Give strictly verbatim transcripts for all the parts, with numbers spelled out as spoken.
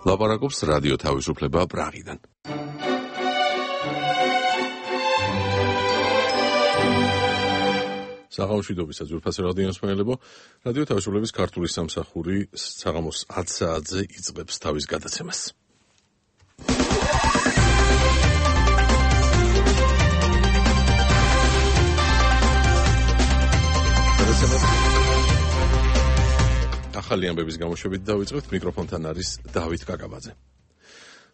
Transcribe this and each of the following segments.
ლაპარაკობს რადიო თავისუფლება პრაღიდან. საღამოშვიდობისა ძვირფასი რადიოსმენელებო, რადიო თავისუფლების ქართული სამსახური საღამოს ათ საათზე იწყებს თავის გადაცემას. ახალი ამბების გამოშვებით დავიწყებთ, მიკროფონთან არის დავით კაკაბაძე.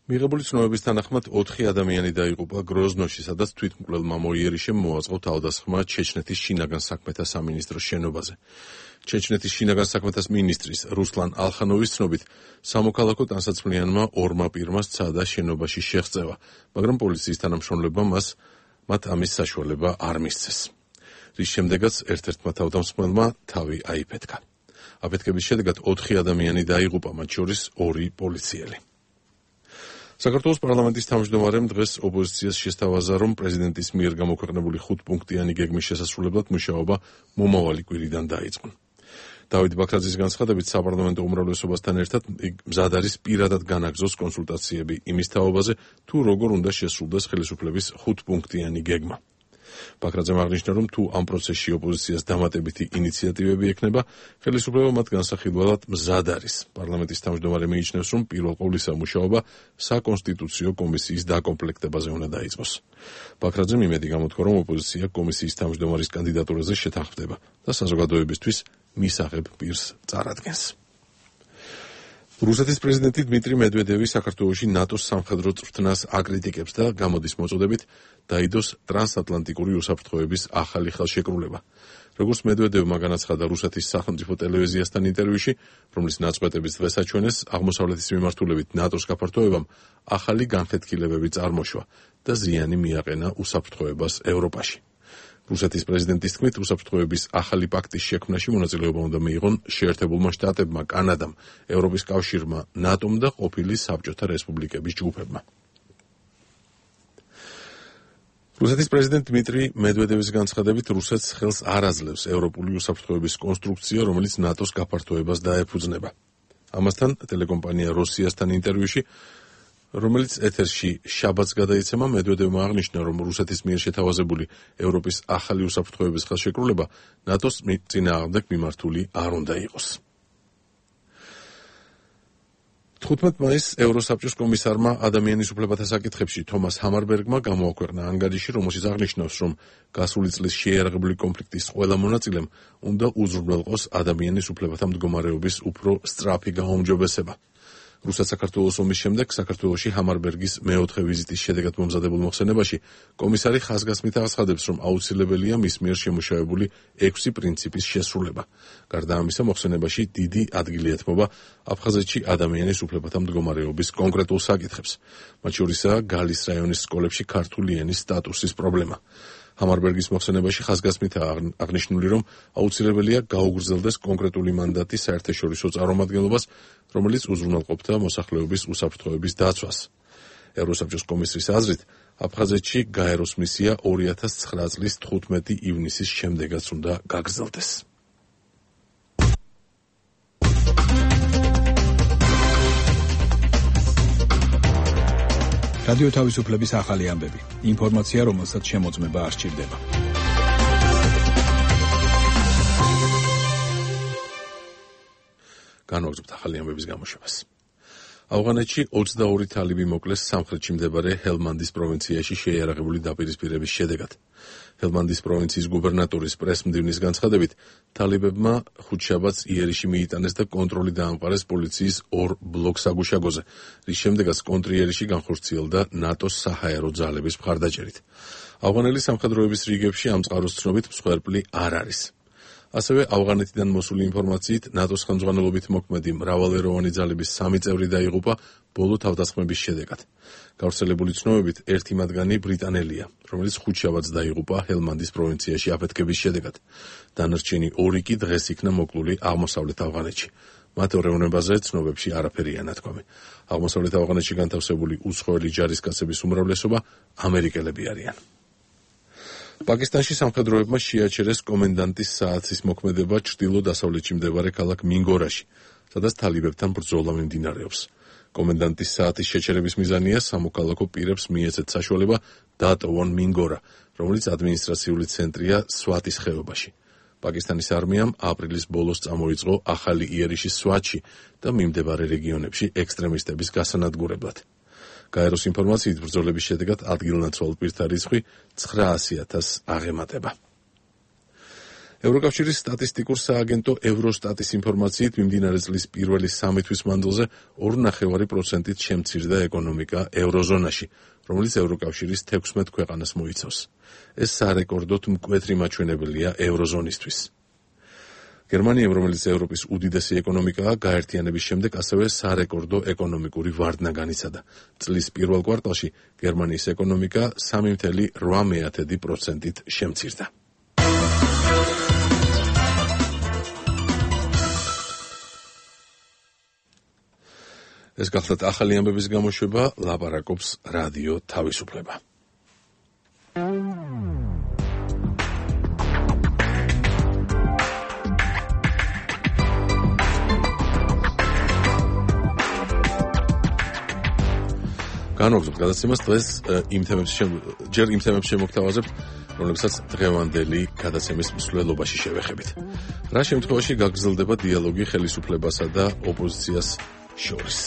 მიღებული ცნობების თანახმად ოთხი ადამიანი დაიღუპა გროზნოში, სადაც თვითმკვლელმა მოიერიშემ მოაწყო თავდასხმა ჩეჩნეთის შინაგან საქმეთა სამინისტროს შენობაზე. ჩეჩნეთის შინაგან საქმეთა მინისტრის რუსლან ალხანოვის ცნობით, სამოქალაქო ტანსაცმლიანმა ორმა პირმა სცადა შენობაში შეღწევა, მაგრამ პოლიციის თანამშრომლებმა მას მათ ამის საშუალება არ მისცეს. რის შემდეგაც ერთ-ერთმა თავდამსხმელმა თავი აიფეთქა. აფეთქების შედეგად ოთხი ადამიანი დაიღუპა, მათ შორის ორი პოლიციელი. საქართველოს პარლამენტის თავმჯდომარემ დღეს ოპოზიციას შესთავაზა, რომ პრეზიდენტის მიერ გამოქვეყნებული ხუთპუნქტიანი გეგმის შესასრულებლად მუშაობა მომავალი კვირიდან დაიწყო. დავით ბაქრაძის განცხადებით, საპარლამენტო უმრავლესობასთან ერთად მზად არის პირადად განაგზოს კონსულტაციები იმის თაობაზე, თუ როგორ უნდა შესრულდეს ხელისუფლების ხუთპუნქტიანი გეგმა. ბაქრაძემ აღნიშნა, რომ თუ ამ პროცესში ოპოზიციას დამატებითი ინიციატივები ექნება, ხელისუფლება მათ განსახილველად მზად არის. პარლამენტის თავმჯდომარე მიიჩნევს, რომ პირველ ყოვლისა მუშაობა საკონსტიტუციო კომისიის დაკომპლექტებაზე უნდა დაიწყოს. ბაქრაძემ იმედი გამოთქვა, რომ ოპოზიცია კომისიის თავმჯდომარის კანდიდატურაზე შეთანხმდება და საზოგადოებისთვის მისაღებ პირს წარადგენს. რუსეთის პრეზიდენტი დმიტრი მედვედევი საქართველოში ნატოს სამხედრო წვრთნას აკრიტიკებს და გამოდის მოწოდებით დაიდოს ტრანსატლანტიკური უსაფრთხოების ახალი ხელშეკრულება. როგორც მედვედევმა განაცხადა რუსეთის სახელმწიფო ტელევიზიასთან ინტერვიუში, რომლის ნაწყვეტების დღეს აჩვენეს, აღმოსავლეთის მიმართულებით ნატოს გაფართოებამ ახალი განხეთქილებები წარმოშვა და ზიანი მიაყენა უსაფრთხოებას ევროპაში. რუსეთის პრეზიდენტის თქმით, უსაფრთხოების ახალი პაქტის შექმნაში მონაწილეობა უნდა მიიღონ შეერთებულმა შტატებმა, კანადამ, ევროპის კავშირმა, ნატომ და ყოფილი საბჭოთა რესპუბლიკების ჯგუფებმა. რუსეთის პრეზიდენტ დმიტრი მედვედევის განცხადებით, რუსეთს ხელს არ აძლევს ევროპული უსაფრთხოების კონსტრუქცია, რომელიც ნატოს გაფართოებას დაეფუძნება. ამასთან ტელეკომპანია როსიასთან ინტერვიუში, რომელიც ეთერში შაბათს გადაიცემა, მედვედევმა აღნიშნა, რომ რუსეთის მიერ შეთავაზებული ევროპის ახალი უსაფრთხოების ხელშეკრულება ნატოს წინააღმდეგ მიმართული არ უნდა იყოს. თხუთმეტ მაისს ევროსაბჭოს კომისარმა ადამიანის უფლებათა საკითხებში თომას ჰამარბერგმა გამოაქვეყნა ანგარიში, რომელშიც აღნიშნავს, რომ გასული წლის შეიარაღებული კონფლიქტის ყველა მონაწილემ უნდა უზრუნველყოს ადამიანის უფლებათა მდგომარეობის უფრო სწრაფი გაუმჯობესება. რუსეთ-საქართველოს ომის შემდეგ საქართველოში ჰამარბერგის მეოთხე ვიზიტის შედეგად მომზადებულ მოხსენებაში კომისარი ხაზგასმით აცხადებს, რომ აუცილებელია მის მიერ შემუშავებული ექვსი პრინციპის შესრულება. გარდა ამისა, მოხსენებაში დიდი ადგილი ეთმობა აფხაზეთში ადამიანის უფლებათა მდგომარეობის კონკრეტულ საკითხებს, მათ შორისაა გალის რაიონის სკოლებში ქართული ენის სტატუსის პრობლემა. ჰამარბერგის მოხსენებაში ხაზგასმითაა აღნიშნული, რომ აუცილებელია გაუგრძელდეს კონკრეტული მანდატი საერთაშორისო წარმომადგენლობას, რომელიც უზრუნველყოფდა მოსახლეობის უსაფრთხოების დაცვას. ევროსაბჭოს კომისრის აზრით, აფხაზეთში გაეროს მისია ორი ათას ცხრა წლის თხუთმეტი ივნისის შემდეგაც უნდა გაგრძელდეს. რადიო თავისუფლების ახალი ამბები. ინფორმაცია, რომელსაც შემოწმება არ სჭირდება. განვაგრძობთ ახალი ამბების გამოშვებას. ავღანეთში ოცდაორი თალიბი მოკლეს სამხრეთში მდებარე ჰელმანდის პროვინციაში შეიარაღებული დაპირისპირების შედეგად. ჰელმანდის პროვინციის გუბერნატორის პრესმდივნის განცხადებით, თალიბებმა ხუთშაბათს იერიში მიიტანეს და კონტროლი დაამყარეს პოლიციის ორ ბლოკ-საგუშაგოზე, რის შემდეგაც კონტრიერიში განხორციელდა ნატოს საჰაერო ძალების მხარდაჭერით. ავღანელი სამხედროების რიგებში ამ წყაროს ცნობით მსხვერპლი არ არის. ასევე ავღანეთიდან მოსული ინფორმაციით, ნატოს ხელმძღვანელობით მოქმედი მრავალეროვანი ძალების სამი წევრი დაიღუპა ბოლო თავდასხმების შედეგად. გავრცელებული ცნობებით, ერთი მათგანი ბრიტანელია, რომელიც ხუთშაბათს დაიღუპა ჰელმანდის პროვინციაში აფეთქების შედეგად. დანარჩენი ორი კი დღეს იქნა მოკლული აღმოსავლეთ ავღანეთში. მათ ორევნებაზე ცნობებში არაფერია ნათქვამი. აღმოსავლეთ ავღანეთში განთავსებული უცხოელი ჯარისკაცების უმრავლესობა ამერიკელები არიან. პაკისტანში სამხედროებმა შეაჩერეს კომენდანტის საათის მოქმედება ჩრდილო-დასავლეთში მდებარე ქალაქ მინგორაში, სადაც თალიბებთან ბრძოლა მიმდინარეობს. კომენდანტის საათის შეჩერების მიზანია სამოქალაქო პირებს მიეცეთ საშუალება დაატოვონ მინგორა, რომელიც ადმინისტრაციული ცენტრია სვატის ხეობაში. პაკისტანის არმიამ აპრილის ბოლოს წამოიწყო ახალი იერიშის სვატში და მიმდებარე რეგიონებში ექსტრემისტების გასანადგურებლად. გაეროს ინფორმაციით ბრძოლების შედეგად ადგილნაცვალ პირთა რიცხვი ცხრაასი ათასს აღემატება. ევროკავშირის სტატისტიკურ სააგენტო ევროსტატის ინფორმაციით მიმდინარე წლის პირველი სამი თვის მანძილზე ორი ნახევარი პროცენტით შემცირდა ეკონომიკა ევროზონაში, რომელიც ევროკავშირის თექვსმეტ ქვეყანას მოიცავს. ეს სარეკორდოდ მკვეთრი მაჩვენებელია ევროზონისთვის. გერმანიამ, რომელიც ევროპის უდიდესი ეკონომიკაა, გაერთიანების შემდეგ ასევე სარეკორდო ეკონომიკური ვარდნა განიცადა. წლის პირველ კვარტალში გერმანიის ეკონომიკა სამი წუთი ოთხ პროცენტით შემცირდა. ეს გახლდათ ახალი ამბების გამოშვება, ლაპარაკობს რადიო თავისუფლება. განვაგრძობთ გადაცემას დღეს იმ თემებს ჯერ იმ თემებს შემოგთავაზებთ, რომლებსაც დღევანდელი გადაცემის მსვლელობაში შევეხებით. რა შემთხვევაში გაგრძელდება დიალოგი ხელისუფლებასა და ოპოზიციას შორის?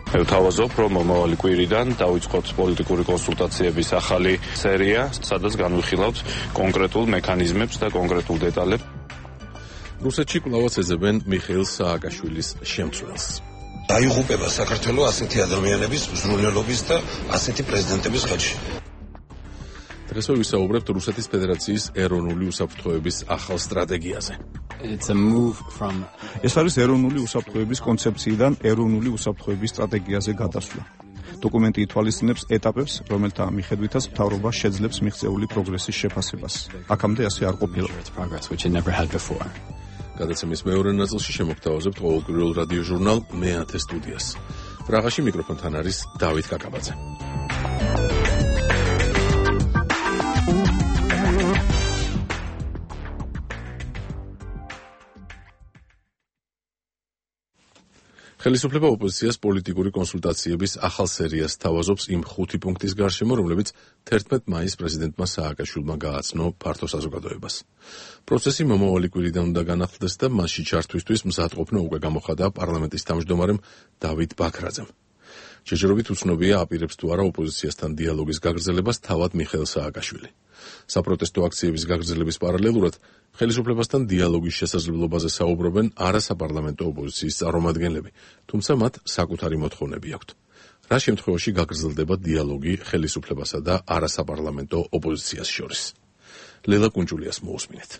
მე ვთავაზობ, რომ მომავალი კვირიდან დავიწყოთ პოლიტიკური კონსულტაციების ახალი სერია, სადაც განვიხილავთ კონკრეტულ მექანიზმებს და კონკრეტულ დეტალებს. რუსეთში კვლავაც ეძებენ მიხეილ სააკაშვილის შემცვლელს. დაიღუპება საქართველოს ასეთი ადამიანების მზრუნველობის და ასეთი პრეზიდენტების ხელში. დღეს ვისაუბრებთ რუსეთის ფედერაციის ეროვნული უსაფრთხოების ახალ სტრატეგიაზე. ეს არის ეროვნული უსაფრთხოების კონცეფციიდან ეროვნული უსაფრთხოების სტრატეგიაზე გადასვლა. დოკუმენტი ითვალისწინებს ეტაპებს, რომელთა მიხედვითაც მთავრობა შეძლებს მიღწეული პროგრესის შეფასებას. აქამდე ასე არ ყოფილა. გადაცემის მეორე ნაწილში შემოგთავაზებთ ყოველკვირეულ რადიო ჟურნალ მეათე სტუდიას. პრაღაში მიკროფონთან არის დავით კაკაბაძე. ხელისუფლება ოპოზიციას პოლიტიკური კონსულტაციების ახალ სერიას თავაზობს იმ ხუთი პუნქტის გარშემო, რომლებიც თერთმეტ მაისს პრეზიდენტმა სააკაშვილმა გააცნო ფართო საზოგადოებას. პროცესი მომავალი კვირიდან უნდა განახლდეს და მასში ჩართვისთვის მზადყოფნა უკვე გამოხადა პარლამენტის თავმჯდომარემ დავით ბაქრაძემ. ჯერჯერობით უცნობია აპირებს თუ არა ოპოზიციასთან დიალოგის გაგრძელებას თავად მიხეილ სააკაშვილი. საპროტესტო აქციების გაგრძელების პარალელურად ხელისუფლებასთან დიალოგის შესაძლებლობაზე საუბრობენ არასაპარლამენტო ოპოზიციის წარმომადგენლები, თუმცა მათ საკუთარი მოთხოვნები აქვთ. რა შემთხვევაში გაგრძელდება დიალოგი ხელისუფლებასა და არასაპარლამენტო ოპოზიციას შორის? ლელა კუნჭულიას მოусმინეთ.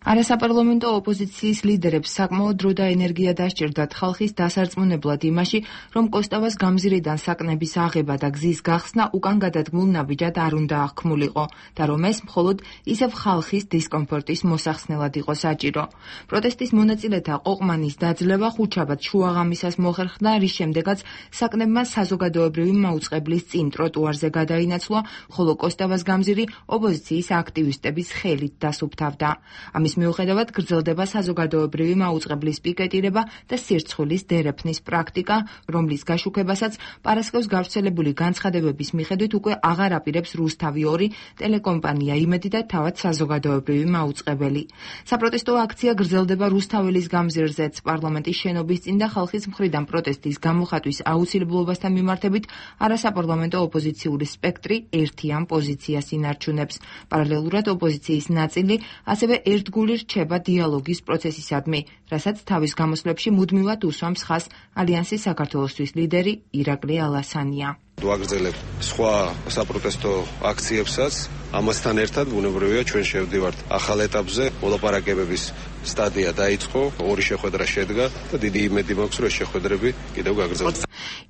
არასაპარლამენტო ოპოზიციის ლიდერებს საკმაოდ დრო და ენერგია დასჭირდათ ხალხის დასარწმუნებლად იმაში, რომ კოსტავას გამზირიდან საკნების აღება და გზის გახსნა უკან გადადგმულ ნაბიჯად არ უნდა აღქმულიყო და რომ ეს მხოლოდ ისევ ხალხის დისკომფორტის მოსახსნელად იყო საჭირო. პროტესტის მონაწილეთა ყოყმანის დაძლევა ხუთშაბათ შუაღამისას მოხერხდა, რის შემდეგაც საკნებმა საზოგადოებრივი მაუწყებლის წინ ტროტუარზე გადაინაცვლა, ხოლო კოსტავას გამზირი ოპოზიციის აქტივისტების ხელით დასუფთავდა. ამის მიუხედავად გრძელდება საზოგადოებრივი მაუწყებლის პიკეტირება და სირცხვილის დერეფნის პრაქტიკა, რომლის გაშუქებასაც პარასკევს გავრცელებული განცხადებების მიხედვით უკვე აღარ აპირებს რუსთავი ორი ტელეკომპანია იმედი და თავად საზოგადოებრივი მაუწყებელი. საპროტესტო აქცია გრძელდება რუსთაველის გამზირზეც, პარლამენტის შენობის წინ და ხალხის მხრიდან პროტესტის გამოხატვის აუცილებლობასთან მიმართებით არასაპარლამენტო ოპოზიციური სპექტრი ერთიან პოზიციას ინარჩუნებს. პარალელურად ოპოზიციის ნაწილი ასევე ერთგული რჩება დიალოგის პროცესისადმი, რასაც თავის გამოსვლებში მუდმივად უსვამს ხაზს ალიანსის საქართველოსთვის ლიდერი ირაკლი ალასანია. ვაგრძელებ სხვა საპროტესტო აქციებსაც, ამასთან ერთად ბუნებრივია ჩვენ შევდივართ ახალ ეტაპზე, მოლაპარაკებების სტადია დაიწყო, ორი შეხვედრა შედგა და დიდი იმედი მაქვს, რომ შეხვედრები კიდევ გაგრძელდება.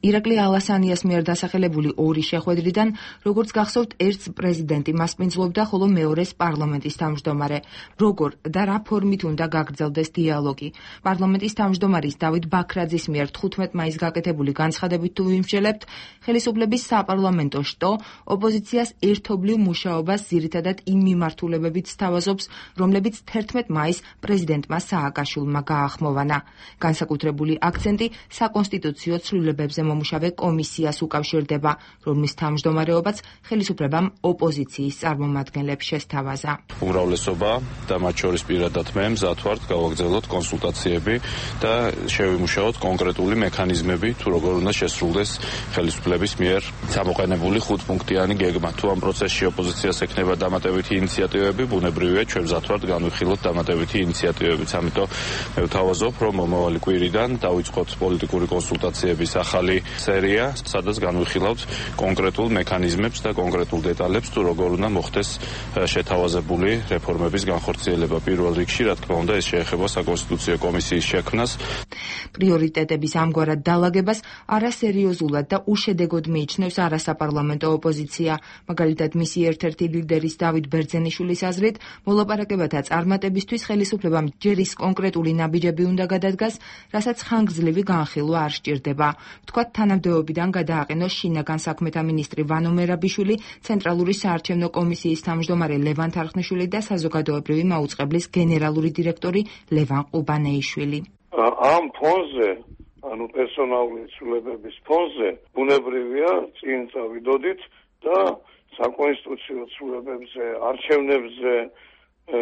ირაკლი ალასანიას მიერ დასახელებული ორი შეხვედრიდან, როგორც გახსოვთ, ერთს პრეზიდენტი მასპინძლობდა, ხოლო მეორეს პარლამენტის თავმჯდომარე. როგორ და რა ფორმით უნდა გაგრძელდეს დიალოგი? პარლამენტის თავმჯდომარის დავით ბაქრაძის მიერ თხუთმეტ მაისს გაკეთებული განცხადებით თუ ვიმსჯელებთ, ხელისუფლების ხელისუფლების საპარლამენტო შტო ოპოზიციას ერთობლივ მუშაობას ძირითადად იმ მიმართულებებით სთავაზობს, რომლებიც თერთმეტ მაისს პრეზიდენტმა სააკაშვილმა გაახმოვანა. განსაკუთრებული აქცენტი საკონსტიტუციო ცვლილებებზე მომუშავე კომისიას უკავშირდება, რომლის თავმჯდომარეობაც ხელისუფლებამ ოპოზიციის წარმომადგენლებს შესთავაზა. უმრავლესობა და მათ შორის პირადად მე მზად ვართ გავაგრძელოთ კონსულტაციები და შევიმუშაოთ კონკრეტული მექანიზმები, თუ როგორ უნდა შესრულდეს ხელისუფლების მიერ გამოყენებული ხუთპუნქტიანი გეგმა. თუ ამ პროცესში ოპოზიციას ექნება დამატებითი ინიციატივები, ბუნებრივია ჩვენ მზად ვართ განვიხილოთ დამატებითი ინიციატივებიც. ამიტომ მე ვთავაზობ, რომ მომავალი კვირიდან დავიწყოთ პოლიტიკური კონსულტაციების ახალი სერია, სადაც განვიხილავთ კონკრეტულ მექანიზმებს და კონკრეტულ დეტალებს, თუ როგორ უნდა მოხდეს შეთავაზებული რეფორმების განხორციელება. პირველ რიგში, რა თქმა უნდა, ეს შეეხება საკონსტიტუციო კომისიის შექმნას. პრიორიტეტების ამგვარად დალაგებას არასერიოზულად და უშედეგოდ მიიჩნევს არასაპარლამენტო ოპოზიცია. მაგალითად, მისი ერთ-ერთი ლიდერის დავით ბერძენიშვილის აზრით, მოლაპარაკებათა წარმატებისთვის ხელისუფლებამ ჯერ ის კონკრეტული ნაბიჯები უნდა გადადგას, რასაც ხანგრძლივი განხილვა არ სჭირდება. ვთქვათ, თანამდებობიდან გადააყენოს შინაგან საქმეთა მინისტრი ვანო მერაბიშვილი, ცენტრალური საარჩევნო კომისიის თავმჯდომარე ლევან თარხნიშვილი და საზოგადოებრივი მაუწყებლის გენერალური დირექტორი ლევან ყუბანეიშვილი. ამ ფონზე, ანუ პერსონალური ცვლილებების ფონზე, ბუნებრივია წინ წავიდოდით და საკონსტიტუციო ცვლილებებზე, არჩევნებზე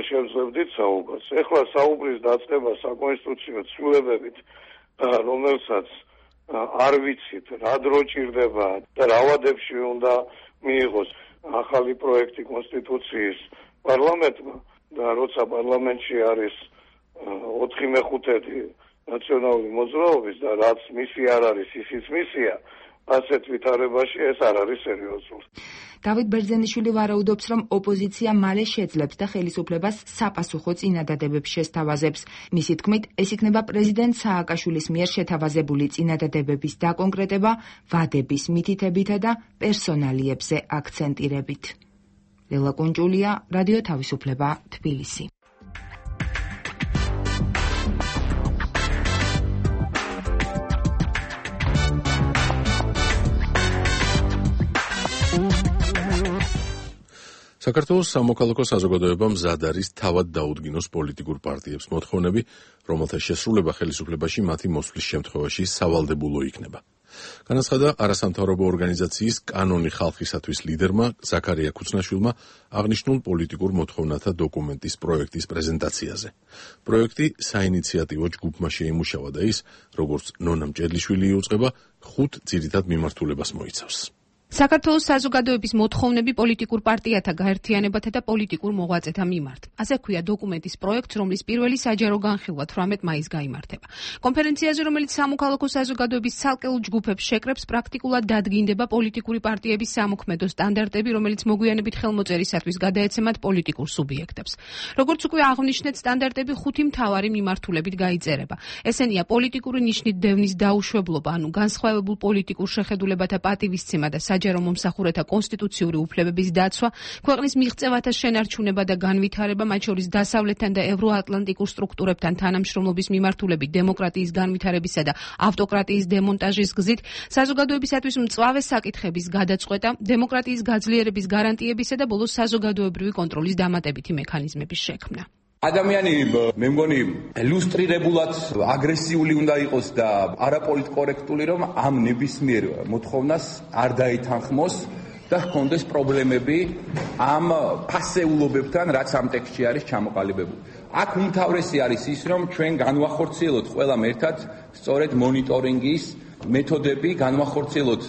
შევძლებდით საუბარს. ეხლა საუბრის დაწყება საკონსტიტუციო ცვლილებებით, რომელსაც არ ვიცით, რა დრო ჭირდება და რა ვადებში უნდა მიიღოს ახალი პროექტი კონსტიტუციის პარლამენტმა და როცა პარლამენტში არის ოთხი მეხუთედი ნაციონალური მოძრაობის და რაც მისი არ არის, ისიც მისია, ასეთ ვითარებაში ეს არ არის სერიოზული. დავით ბერძენიშვილი ვარაუდობს, რომ ოპოზიცია მალე შეძლებს და ხელისუფლებას საპასუხო წინადადებებს შესთავაზებს. მისი თქმით, ეს იქნება პრეზიდენტ სააკაშვილის მიერ შეთავაზებული წინადადებების დაკონკრეტება ვადების მითითებითა და პერსონალიებზე აქცენტირებით. ლელა კუნჭულია, რადიო თავისუფლება, თბილისი. საქართველოს სამოქალაქო საზოგადოება მზად არის თავად დაუდგინოს პოლიტიკურ პარტიებს მოთხოვნები, რომელთა შესრულება ხელისუფლებაში მათი მოსვლის შემთხვევაში სავალდებულო იქნება. განაცხადა არასამთავრობო ორგანიზაციის კანონი ხალხისათვის ლიდერმა ზაქარია ქუცნაშვილმა აღნიშნულ პოლიტიკურ მოთხოვნათა დოკუმენტის პროექტის პრეზენტაციაზე. პროექტი საინიციატივო ჯგუფმა შეიმუშავა და ის, როგორც ნონა მჭედლიშვილი იუწყება, ხუთ ძირითად მიმართულებას მოიცავს. საქართველოს საზოგადოების მოთხოვნები პოლიტიკურ პარტიათა გაერთიანებათა და პოლიტიკურ მოღვაწეთა მიმართ. ასე ქვია დოკუმენტის პროექტს, რომლის პირველი საჯარო განხილვა თვრამეტ მაისს გაიმართება. კონფერენციაზე, რომელიც სამოქალაქო საზოგადოების ცალკეულ ჯგუფებს შეკრებს, პრაქტიკულად დადგინდება პოლიტიკური პარტიების სამოქმედო სტანდარტები, რომელიც მოგვიანებით ხელმოწერისათვის გადაეცემათ პოლიტიკურ სუბიექტებს. როგორც უკვე აღნიშნეთ, სტანდარტები ხუთი მთავარი მიმართულებით გაიწერება. ესენია პოლიტიკური ნიშნით დევნის დაუშვებლობა, ანუ განსხვავებულ პოლიტიკურ შეხედულებათა პატივისცემა და საჯარო მომსახურეთა კონსტიტუციური უფლებების დაცვა, ქვეყნის მიღწევათა შენარჩუნება და განვითარება, მათ შორის დასავლეთთან და ევროატლანტიკურ სტრუქტურებთან თანამშრომლობის მიმართულებით დემოკრატიის განვითარებისა და ავტოკრატიის დემონტაჟის გზით, საზოგადოებისათვის მწვავე საკითხების გადაწყვეტა, დემოკრატიის გაძლიერების გარანტიებისა და ბოლოს საზოგადოებრივი კონტროლის დამატებითი მექანიზმების შექმნა. ადამიანი მე მგონი ილუსტრირებულად აგრესიული უნდა იყოს და არაპოლიტკორექტული, რომ ამ ნებისმიერ მოთხოვნას არ დაითანხმოს და ჰქონდეს პრობლემები ამ ფასეულობებთან, რაც ამ ტექსტში არის ჩამოყალიბებული. აქ უმთავრესი არის ის, რომ ჩვენ განვახორციელოთ ყველამ ერთად სწორედ მონიტორინგის მეთოდები, განვახორციელოთ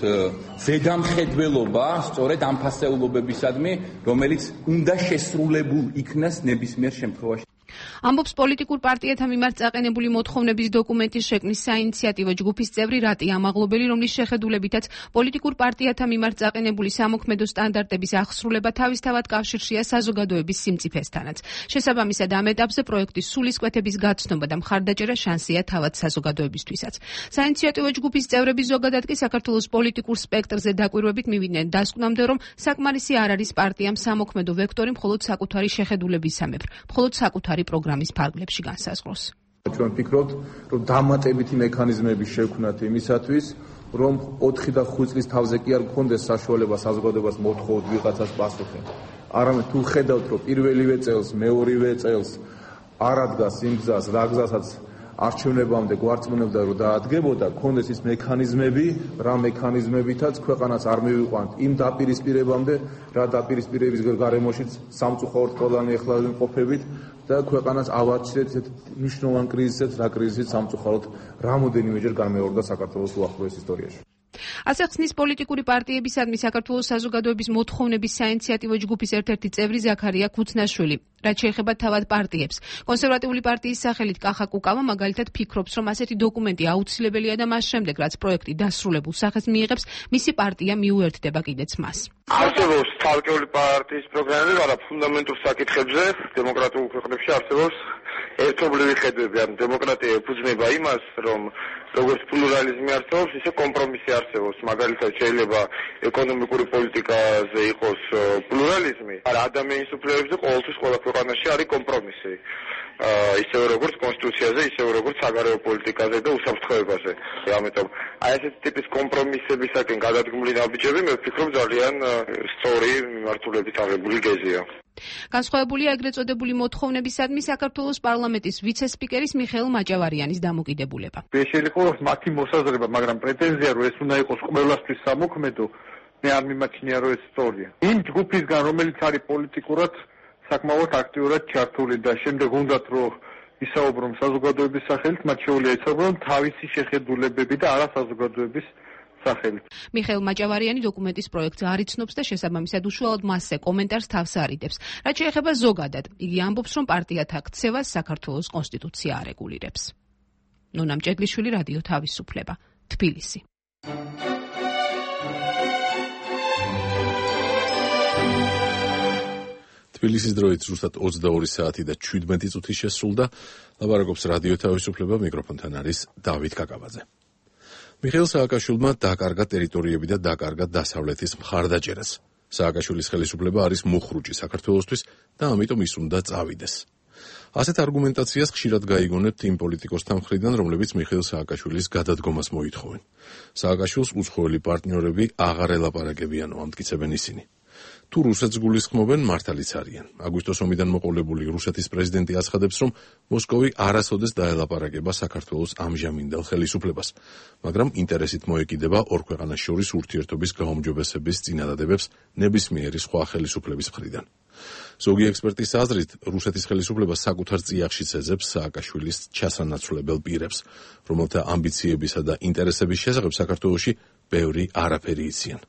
ზედამხედველობა სწორედ ამ ფასეულობებისადმი, რომელიც უნდა შესრულებულ იქნას ნებისმიერ შემთხვევაში. ამბობს პოლიტიკურ პარტიათა მიმართ წაყენებული მოთხოვნების დოკუმენტის შექმნის საინიციატივო ჯგუფის წევრი რატი ამაღლობელი, რომლის შეხედულებითაც პოლიტიკურ პარტიათა მიმართ წაყენებული სამოქმედო სტანდარტების აღსრულება თავისთავად კავშირშია საზოგადოების სიმწიფესთანაც. შესაბამისად, ამ ეტაპზე პროექტის სულისკვეთების გაცნობა და მხარდაჭერა შანსია თავად საზოგადოებისთვისაც. საინიციატივო ჯგუფის წევრები ზოგადად კი საქართველოს პოლიტიკურ სპექტრზე დაკვირვებით მივიდნენ დასკვნამდე, რომ საკმარისი არ არის პარტიამ სამოქმედო ვექტორი მხოლოდ საკუთარი შეხედულებისამებრ, მხოლოდ საკუთარი პროგრამის ფარგლებში განსაზღვროს. ჩვენ ვფიქრობთ, რომ დამატებითი მექანიზმები შექმნათ იმისათვის, რომ ოთხი და ხუთი წლის თავზე კი არ გქონდეს საშუალება საზოგადოებას მოთხოვოთ ვიღაცას პასუხი. არამედ თუ ხედავთ, რომ პირველივე წელს, მეორივე წელს არ ადგას იმ გზას, რა გზასაც არჩევნებამდე გვარწმუნებდა, რომ დაადგებოდა, გქონდეს ის მექანიზმები, რა მექანიზმებითაც ქვეყანას არ მივიყვანთ იმ დაპირისპირებამდე, რა დაპირისპირების გარემოშიც სამწუხაროდ ყველანი ეხლა ვიმყოფებით და ქვეყანას ავარჩიეთ ესეთ მნიშვნელოვან კრიზისებს, რა კრიზისიც სამწუხაროდ რამოდენიმეჯერ განმეორდა საქართველოს უახლოეს ისტორიაში. ასე ხსნის პოლიტიკური პარტიებისადმი საქართველოს საზოგადოების მოთხოვნების საინიციატივო ჯგუფის ერთ-ერთი წევრი ზაქარია ქუცნაშვილი. რაც შეეხება თავად პარტიებს. კონსერვატიული პარტიის სახელით კახა კუკავა მაგალითად ფიქრობს, რომ ასეთი დოკუმენტი აუცილებელია და მას შემდეგ, რაც პროექტი დასრულებულ სახეს მიიღებს, მისი პარტია მიუერთდება კიდეც მას. არსებობს თავკეული პარტიის პროგრამები, მაგრამ ფუნდამენტურ საკითხებზე დემოკრატიულ ქვეყნებში არსებობს ერთობლივი ხედვები, ან დემოკრატია ეფუძნება იმას, რომ როგორც პლურალიზმი არსებობს, ისე კომპრომისი არსებობს. მაგალითად, შეიძლება ეკონომიკური პოლიტიკაზე იყოს პლურალიზმი, მაგრამ ადამიანის უფლებებზე ყოველთვის ყველა ქვეყანაში არის კომპრომისი. ისევე როგორც კონსტიტუციაზე, ისევე როგორც საგარეო პოლიტიკაზე და უსაფრთხოებაზე. ამიტომ აი ესეთი ტიპის კომპრომისებისაკენ გადადგმული ნაბიჯები მე ვფიქრობ ძალიან სწორი მიმართულებით აღებული გეზია. განსხვავებულია ეგრეთ წოდებული მოთხოვნებისადმი საქართველოს პარლამენტის ვიცე-სპიკერის მიხეილ მაჭავარიანის დამოკიდებულება. შეიძლება იყოს მათი მოსაზრება, მაგრამ პრეტენზია რომ ეს უნდა იყოს ყველასთვის სამოქმედო, მე არ მიმაჩნია რომ ეს სწორია. იმ ჯგუფისგან რომელიც არის პოლიტიკურად საკმაოდ აქტიურად ჩართული და შემდეგ უნდათ რომ ისაუბრონ საზოგადოების სახელით, მათ შეუძლია ისაუბრონ თავისი შეხედულებები და არა საზოგადოების სახელით. მიხეილ მაჭავარიანი დოკუმენტის პროექტს არ იცნობს და შესაბამისად უშუალოდ მასზე კომენტარს თავს არიდებს. რაც შეეხება ზოგადად, იგი ამბობს, რომ პარტიათა ქცევას საქართველოს კონსტიტუცია არეგულირებს. ნონა მჭედლიშვილი, რადიო თავისუფლება, თბილისი. თბილისის დროით ზუსტად ოცდაორი საათი და ჩვიდმეტი წუთი შესრულდა. ლაპარაკობს რადიო თავისუფლება, მიკროფონთან არის დავით კაკაბაძე. მიხეილ სააკაშვილმა დაკარგა ტერიტორიები და დაკარგა დასავლეთის მხარდაჭერას. სააკაშვილის ხელისუფლება არის მუხრუჭი საქართველოსთვის და ამიტომ ის უნდა წავიდეს. ასეთ არგუმენტაციას ხშირად გაიგონებთ იმ პოლიტიკოსთა მხრიდან, რომლებიც მიხეილ სააკაშვილის გადადგომას მოითხოვენ. სააკაშვილს უცხოელი პარტნიორები აღარ ელაპარაკებიანო, ამტკიცებენ ისინი. თუ რუსეთს გულისხმობენ, მართალიც არიან. აგვისტოს ომიდან მოყოლებული რუსეთის პრეზიდენტი აცხადებს, რომ მოსკოვი არასოდეს დაელაპარაკება საქართველოს ამჟამინდელ ხელისუფლებას, მაგრამ ინტერესით მოეკიდება ორ ქვეყანას შორის ურთიერთობის გაუმჯობესების წინადადებებს ნებისმიერი სხვა ხელისუფლების მხრიდან. ზოგი ექსპერტის აზრით, რუსეთის ხელისუფლება საკუთარ წიაღშიც ეძებს სააკაშვილის ჩასანაცვლებელ პირებს, რომელთა ამბიციებისა და ინტერესების შესახებ საქართველოში ბევრი არაფერი იციან.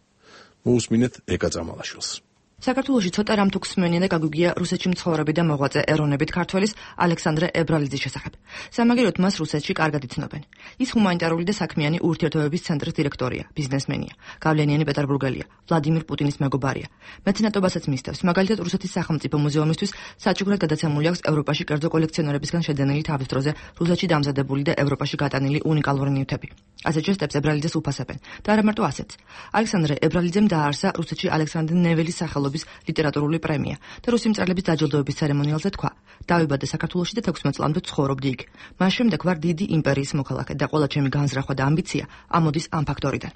მოусმინეთ ეკა წამალაშვილს. საქართველოში ცოტა რამ თუ გსმენია და გაგვიგია რუსეთში მცხოვრები და მოღვაწე ეროვნებით ქართველის ალექსანდრე ებრალიძის შესახებ. სამაგიეროდ მას რუსეთში კარგად იცნობენ. ის ჰუმანიტარული და საქმიანი ურთიერთობების ცენტრის დირექტორია, ბიზნესმენია, გავლენიანი პეტერბურგელია, ვლადიმირ პუტინის მეგობარია. მეცნიერებასაც მისდევს. მაგალითად, რუსეთის სახელმწიფო მუზეუმისთვის საჩუქრად გადაცემული აქვს ევროპაში კერძო კოლექციონერებისგან შედენილი თავის დროზე რუსეთში დამზადებული და ევროპაში გატანილი უნიკალური ნივთები. ასეთ ჟესტებს ებრალიძეს უფასებენ და არა მარტო ასეთს. ალექსანდრე ებრალიძემ დააარსა რუსეთში ალექსანდრე ნეველის სახელობის ლიტერატურული პრემია და რუსი მწერლების დაჯილდოების ცერემონიალზე თქვა: დავიბადე საქართველოში და თექვსმეტ წლამდე ვცხოვრობდი იქ. მას შემდეგ ვარ დიდი იმპერიის მოქალაქე და ყველა ჩემი განზრახვა და ამბიცია ამოდის ამ ფაქტორიდან.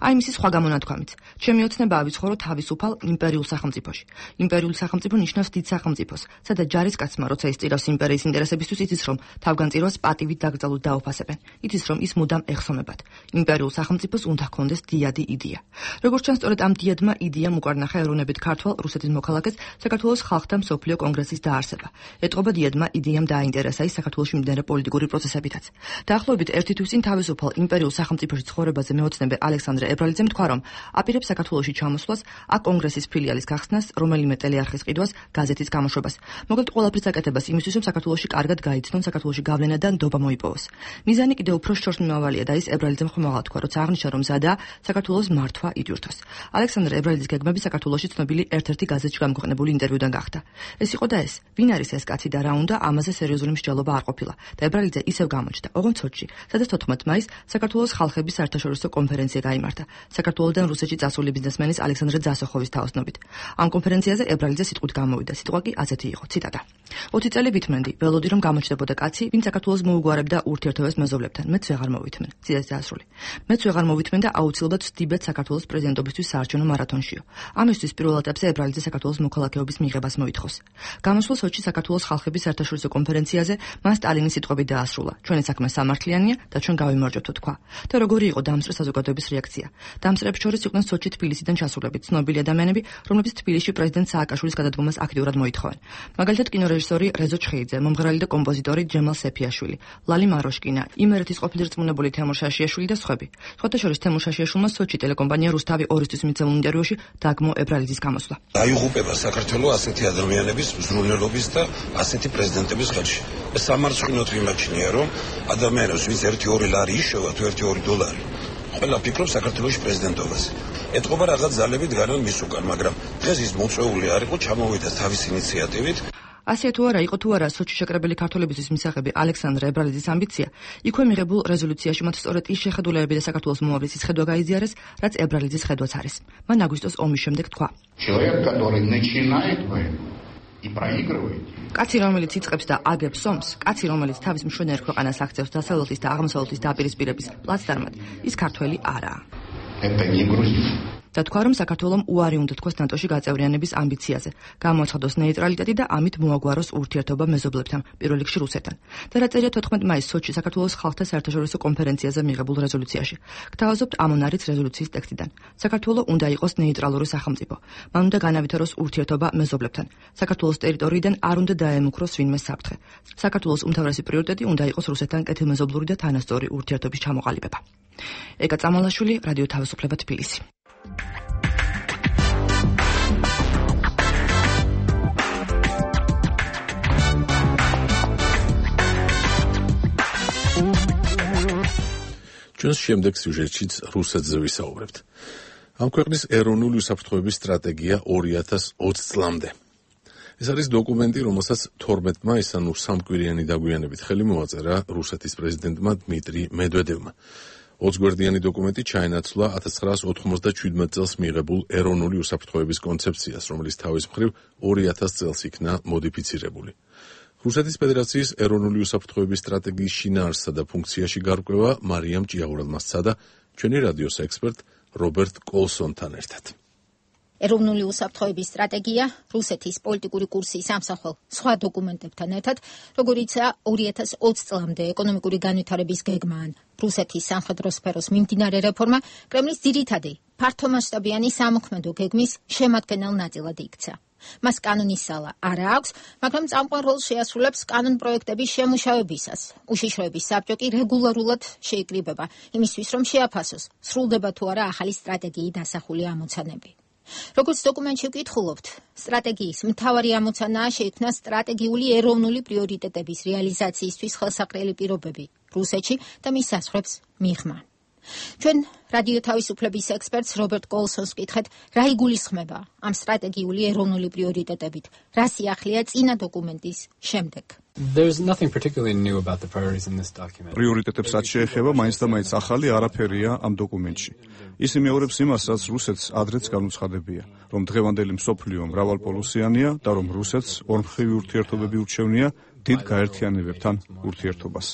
აი მისი სხვა გამონათქვამიც. ჩემი ოცნება ავიცხოვრო თავისუფალ იმპერიულ სახელმწიფოში. იმპერიული სახელმწიფო ნიშნავს დიდ სახელმწიფოს, სადაც ჯარისკაცმა, როცა ის წირავს იმპერიის ინტერესებისთვის, იცის, რომ თავგანწირვას პატივით დაკრძალულ დაუფასებენ. იცის, რომ ის მუდამ ეხსომებათ. იმპერიულ სახელმწიფოს უნდა ჰქონდეს დიადი იდეა. როგორც ჩანს, სწორედ ამ დიადმა იდეამ უკარნახა ეროვნებით ქართველ რუსეთის მოქალაქეს საქართველოს ხალხთა მსოფლიო კონგრესის დაარსება. ეტყობა დიადმა იდეამ დააინტერესა ის საქართველოში მიმდინარე პოლიტიკური პროცესებითაც. დაახლოებით ერთი თვის წინ თავისუფალ იმპერიულ სახელმწიფოში ცხოვრებაზე მეოცნებე ალექსანდრე ებრალიძემ თქვა, რომ აპირებს საქართველოში ჩამოსვლას, აქ კონგრესის ფილიალის გახსნას, რომელიმე ტელეარხის ყიდვას, გაზეთის გამოშვებას. მოკლედ ყველაფრის აკეთებას იმისთვის, რომ საქართველოში კარგად გაიცნონ, საქართველოში გავლენა და ნდობა მოიპოვოს. მიზანი კიდევ უფრო შორსმიმავალია და ის ებრალიძემ ხმააღად თქვა, როცა აღნიშნა, რომ მზადაა საქართველოს მართვა იდიურთოს. ალექსანდრე ებრალიძის გეგმები საქართველოში ცნობილი ერთ-ერთი გაზეთში გამოქვეყნებული ინტერვიუდან გახდა. ეს იყო და ეს, ვინ არის ეს კაცი და რა უნდა, ამაზე სერიოზული მსჯელობა არ ყოფილა და ებრალიძე ისევ გამოჩნდა. ოღონდ სოჭში, სადაც თოთხმეტ მაისს საქართველოს ხალხების საერთაშორისო კონფერენცია გაიმართა საქართველოსდან რუსეთში წასული ბიზნესმენის ალექსანდრე ძასოხოვის თაოსნობით. ამ კონფერენციაზე ებრალიძე სიტყვით გამოვიდა. სიტყვა კი ასეთი იყო, ციტატა: ოცი წელი ვითმენდი, ველოდი რომ გამოჩნდებოდა კაცი, ვინც საქართველოს მოუგვარებდა ურთიერთობებს მეზობლებთან. მეც ვეღარ მოვითმენ. ციტატა დასრული. მეც ვეღარ მოვითმენ და აუცილებლად ვსდიბეთ საქართველოს პრეზიდენტობისთვის საარჩევნო მარათონშიო. ამისთვის პირველ ეტაპზე ებრალიძე საქართველოს მოქალაქეობის მიღებას მოითხოვს. გამოსულ სოჩში საქართველოს ხალხების საერთაშორისო კონფერენციაზე მან სტალინის სიტყვები დაასრულა. ჩვენი საქმე სამართლიანია და ჩვენ გავიმარჯვებთ, თქვა. და როგორი იყო დამსწრე საზოგადოების რეაქცია? დამსწრეებს შორის იყვნენ სოჩში თბილისიდან ჩასულები ცნობილი ადამიანები, რომლებიც თბილისში პრეზიდენტ სააკაშვილის გადადგომას აქტიურად მოითხოვენ. მაგალითად კინორეჟისორი რეზო ჩხეიძე, მომღერალი და კომპოზიტორი ჯემალ სეფიაშვილი, ლალი მაროშკინა, იმერეთის ყოფილი რწმუნებული თემურ შაშიაშვილი და სხვები. სხვათა შორის თემურ შაშიაშვილმა სოჩში ტელეკომპანია რუსთავი ორისთვის მიცემულ ინტერვიუში დაგმო ებრალიძის გამოსვლა. დაიღუპება საქართველოს ასეთი ადამიანების ზრუნველობის და ასეთი პრეზიდენტების ხელში. სამარცხინოდ ვიმაჩნია, რომ ადამიანებს ვინც ერთი ორი ლარი იშოვა თუ ერთი ორი დოლარი, ყველა ფიქრობს საქართველოს პრეზიდენტობაზე. ეთყობა რაღაც ძალები დგანან მის უკან, მაგრამ დღეს ის მოწვეული არ იყო, ჩამოვიდა თავის ინიციატივით. ასე თუ არა იყო თუ არა სოჩში შეკრებილი ქართველებისთვის მისაღები ალექსანდრე ებრალიძის ამბიცია, იქვე მიღებულ რეზოლუციაში მათ სწორედ ის შეხედულებები და საქართველოს მომავლის ხედვა გაიზიარეს, რაც ებრალიძის ხედვაც არის. მან აგვისტოს ომის შემდეგ თქვა: человек, который начинает войну и проигрывает. კაცი, რომელიც იწყებს და აგებს ომს, კაცი, რომელიც თავის მშვენიერ ქვეყანას აქცევს დასავლეთის და აღმოსავლეთის დაპირისპირების პლაცდარმად, ის ქართველი არაა. Это не грузин. და თქვა, რომ საქართველომ უარი უნდა თქვას ნატოში გაწევრიანების ამბიციაზე, გამოაცხადოს ნეიტრალიტეტი და ამით მოაგვაროს ურთიერთობა მეზობლებთან, პირველ რიგში რუსეთთან. და რა წერია თოთხმეტ მაისს სოჩში საქართველოს ხალხთა საერთაშორისო კონფერენციაზე მიღებულ რეზოლუციაში. გთავაზობთ ამ არის რეზოლუციის ტექსტიდან. საქართველო უნდა იყოს ნეიტრალური სახელმწიფო. მან უნდა განავითაროს ურთიერთობა მეზობლებთან. საქართველოს ტერიტორიიდან არ უნდა დაემუქროს ვინმე საფრთხე. საქართველოს უმთავრესი პრიორიტეტი უნდა იყოს რუსეთთან კეთილმეზობლური და თანასწორი ურთიერთობის ჩამოყალიბება. ეკა წამალაშვილი, რადიო თავისუფლება, თბილისი. ჩვენს შემდეგ სიუჟეტშიც რუსეთზე ვისაუბრებთ. ამ ქვეყნის ეროვნული უსაფრთხოების სტრატეგია ორი ათას ოცი წლამდე. ეს არის დოკუმენტი, რომელსაც თორმეტ მაისს, ანუ სამკვირიანი დაგვიანებით ხელი მოაწერა რუსეთის პრეზიდენტმა დმიტრი მედვედევმა. ოცგვერდიანი დოკუმენტი ჩაენაცვლა ათას ცხრაას ოთხმოცდაჩვიდმეტ წელს მიღებულ ეროვნული უსაფრთხოების კონცეფციას, რომელიც თავის მხრივ ორი ათას წელს იქნა მოდიფიცირებული. რუსეთის ფედერაციის ეროვნული უსაფრთხოების სტრატეგიის შინაარსსა და ფუნქციაში გარკვევა მარიამ ჭიაურელმა სცადა ჩვენი რადიოს ექსპერტ რობერტ კოლსონთან ერთად. ეროვნული უსაფრთხოების სტრატეგია რუსეთის პოლიტიკური კურსის ამსახველ სხვა დოკუმენტებთან ერთად, როგორიცაა ორი ათას ოცი წლამდე ეკონომიკური განვითარების გეგმა ან რუსეთის სამხედრო სფეროს მიმდინარე რეფორმა, კრემლის ძირითადი ფართომასშტაბიანი სამოქმედო გეგმის შემადგენელ ნაწილად იქცა. მას კანონის სალა არა აქვს, მაგრამ წამყვან როლს შეასრულებს კანონ პროექტების შემუშავებისას. უშიშროების საბჭო კი რეგულარულად შეიკრიბება იმისთვის, რომ შეაფასოს, სრულდება თუ არა ახალი სტრატეგიით დასახული ამოცანები. როგორც დოკუმენტში ვკითხულობთ, სტრატეგიის მთავარი ამოცანაა შეიქმნა სტრატეგიული ეროვნული პრიორიტეტების რეალიზაციისთვის ხელსაყრელი პირობები რუსეთში და მის საზღვრებს მიღმა. ჩვენ რადიო თავისუფლების ექსპერტს რობერტ კოლსონს ვკითხეთ, რა იგულისხმება ამ სტრატეგიული ეროვნული პრიორიტეტებით, რა სიახლეა წინა დოკუმენტის შემდეგ. There's nothing particularly new about the priorities in this document. პრიორიტეტებს რაც შეეხება, მაინც და მაინც ახალი არაფერია ამ დოკუმენტში. ის იმეორებს იმასაც, რუსეთს ადრეც განუცხადებია, რომ დღევანდელი მსოფლიო მრავალპოლუსიანია და რომ რუსეთს ორმხრივი ურთიერთობები ურჩევნია დიდ გაერთიანებებთან ურთიერთობას.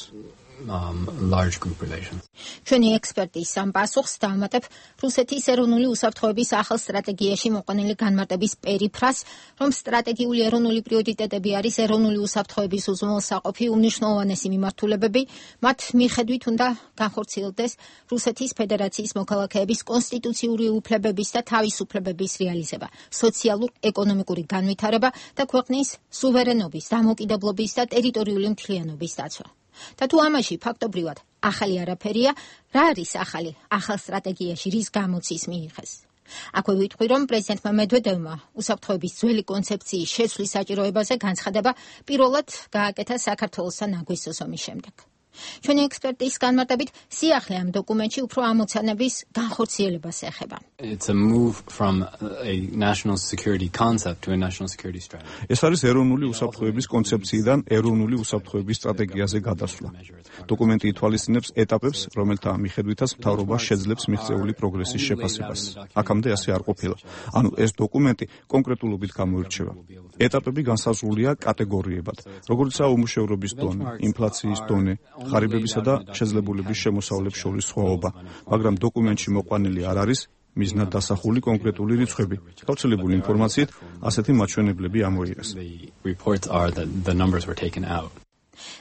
Um, large group relations. ჩვენი ექსპერტის ამ პასუხს დავუმატებ რუსეთის ეროვნული უსაფრთხოების ახალ სტრატეგიაში მოყვანილი განმარტების პერიფრას, რომ სტრატეგიული ეროვნული პრიორიტეტები არის ეროვნული უსაფრთხოების უზრუნველსაყოფი უმნიშვნელოვანესი მიმართულებები, მათ მიხედვით უნდა განხორციელდეს რუსეთის ფედერაციის მოქალაქეების კონსტიტუციური უფლებების და თავისუფლებების რეალიზება, სოციალურ-ეკონომიკური განვითარება და ქვეყნის სუვერენობის, დამოუკიდებლობის და ტერიტორიული მთლიანობის დაცვა. და თუ ამაში ფაქტობრივად ახალი არაფერია, რა არის ახალი ახალ სტრატეგიაში, რის გამოც ის მიიღეს? აქვე ვიტყვი, რომ პრეზიდენტმა მედვედევმა უსაფრთხოების ძველი კონცეფციის შეცვლის საჭიროებაზე განცხადება პირველად გააკეთა საქართველოსთან აგვისტოს ომის შემდეგ. ჩვენი ექსპერტის განმარტებით, სიახლე ამ დოკუმენტში უფრო ამოცანების განხორციელებას ეხება. It's a move from a national security concept to a national security strategy. ეს არის ეროვნული უსაფრთხოების კონცეფციიდან ეროვნული უსაფრთხოების სტრატეგიაზე გადასვლა. დოკუმენტი ითვალისწინებს ეტაპებს, რომელთა მიხედვითაც მთავრობა შეძლებს მიღწეული პროგრესის შეფასებას. აქამდე ასე არ ყოფილა. ანუ ეს დოკუმენტი კონკრეტულობით გამოირჩევა. ეტაპები განსაზღვრულია კატეგორიებად, როგორიცაა უმუშევრობის დონე, ინფლაციის დონე, ღარიბებისა და შეძლებულების შემოსავლებს შორის სხვაობა, მაგრამ დოკუმენტში მოყვანილი არ არის მიზნად დასახული კონკრეტული რიცხვები. გავრცელებული ინფორმაციით, ასეთი მაჩვენებლები ამოიღეს.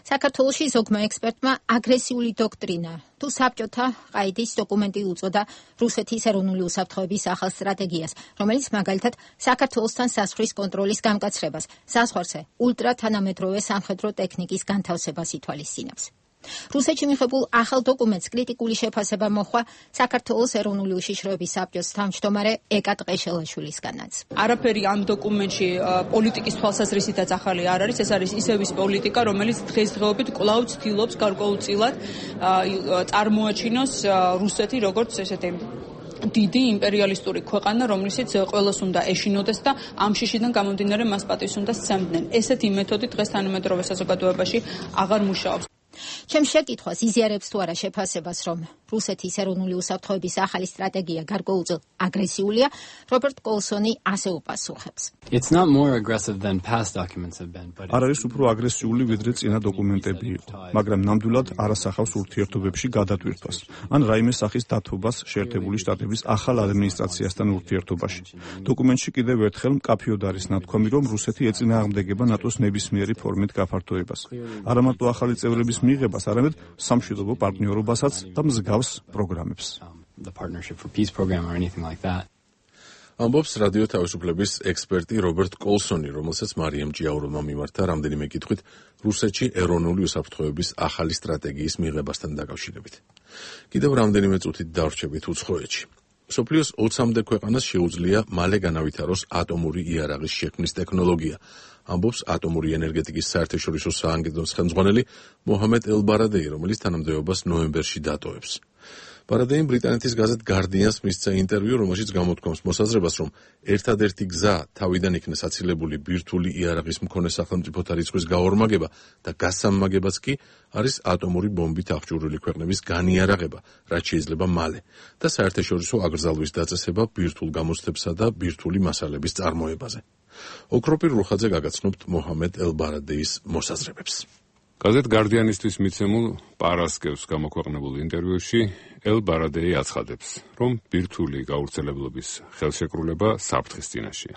საქართველოში ზოგმა ექსპერტმა აგრესიული დოქტრინა თუ საბჭოთა ყაიდის დოკუმენტი უწოდა რუსეთის ეროვნული უსაფრთხოების ახალ სტრატეგიას, რომელიც მაგალითად საქართველოსთან საზღვრის კონტროლის გამკაცრებას, საზღვარზე ულტრათანამედროვე სამხედრო ტექნიკის განთავსებას ითვალისწინებს. რუსეთში მიღებულ ახალ დოკუმენტს კრიტიკული შეფასება მოჰყვა საქართველოს ეროვნული უშიშროების საბჭოს თავმჯდომარე ეკა ტყეშელაშვილისგანაც. არაფერი ამ დოკუმენტში პოლიტიკის თვალსაზრისითაც ახალი არ არის, ეს არის ისევის პოლიტიკა, რომელიც დღესდღეობით კვლავ ცდილობს გარკვეულწილად წარმოაჩინოს რუსეთი როგორც ესეთი დიდი იმპერიალისტური ქვეყანა, რომლისიც ყველას უნდა ეშინოდეს და ამ შიშიდან გამომდინარე მას პატივს უნდა სცემდნენ. ესეთი მეთოდი დღეს თანამედროვე საზოგადოებაში აღარ მუშაობს. ჩემს შეკითხვას იზიარებს თუ არა შეფასებას, რომ რუსეთის ეროვნული უსაფრთხოების ახალი სტრატეგია გარკვეულწილ აგრესიულია, რობერტ კოლსონი ასე უპასუხებს. It's not more aggressive than past documents have been, but არ არის უფრო აგრესიული ვიდრე წინა დოკუმენტები იყო, მაგრამ ნამდვილად არ ასახავს ურთიერთობებში გადატვირთვას, ან რაიმე სახის დათბობას შეერთებული შტატების ახალ ადმინისტრაციასთან ურთიერთობაში. დოკუმენტში კიდევ ერთხელ მკაფიოდ არის ნათქვამი, რომ რუსეთი ეწინააღმდეგება ნატოს ნებისმიერი ფორმით გაფართოებას. არა მარტო ახალი წევრების მიღებას, არამედ სამშვიდობო პარტნიორობასაც და მსგავს პროგრამებს. ამბობს რადიო თავისუფლების ექსპერტი რობერტ კოლსონი, რომელსაც მარიამ ჭიაუროვმა მიმართა რამდენიმე კითხვით რუსეთში ეროვნული უსაფრთხოების ახალი სტრატეგიის მიღებასთან დაკავშირებით. კიდევ რამდენიმე წუთით დავრჩებით უცხოეთში. მსოფლიოს ოცამდე ქვეყანას შეუძლია მალე განავითაროს ატომური იარაღის შექმნის ტექნოლოგია. ამბობს ატომური ენერგეტიკის საერთაშორისო საანგარიშოს ხელმძღვანელი მოჰამედ ელ-ბარადეი, რომელიც თანამდებობას ნოემბერში დატოვებს. ბარადეიმ ბრიტანეთის გაზეთ Guardian-ს მისცა ინტერვიუ, რომელშიც გამოთქვამს მოსაზრებას, რომ ერთადერთი გზა თავიდან იქნეს აცილებული ბირთვული იარაღის მქონე სახელმწიფოთა რიცხვის გაორმაგება და გასამმაგებაც კი არის ატომური ბომბით აღჭურვილი ქვეყნების განიარაღება, რაც შეიძლება მალე და საერთაშორისო აკრძალვის დაწესება ბირთვულ გამოცდებსა და ბირთვული მასალების წარმოებაზე. ოქროპირ რუხაძე გაგაცნობთ მოჰამედ ელ-ბარადეის მოსაზრებებს. გაზეთ Guardian-ისთვის მიცემულ პარასკევს გამოქვეყნებულ ინტერვიუში ელ-ბარადეი აცხადებს, რომ ბირთვული გავრცელებლობის ხელშეკრულება საფრთხის წინაშეა.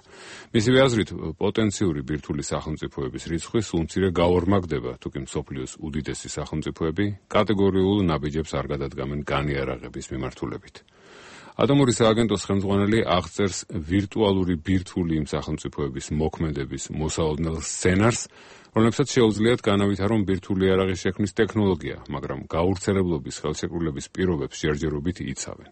მისივე აზრით, პოტენციური ბირთვული სახელმწიფოების რიცხვი სულ მცირე გაორმაგდება, თუკი მსოფლიოს უდიდესი სახელმწიფოები კატეგორიულ ნაბიჯებს არ გადადგამენ განიარაღების მიმართულებით. ატომური სააგენტოს ხელმძღვანელი აღწერს ვირტუალური ბირთვული იმ სახელმწიფოების მოქმედების მოსაოდნელ სცენარს, რომლებსაც შეუძლიათ განავითარონ ბირთვული იარაღის შექმნის ტექნოლოგია, მაგრამ გავრცელებლობის ხელშეკრულების პირობებს ჯერჯერობით იცავენ.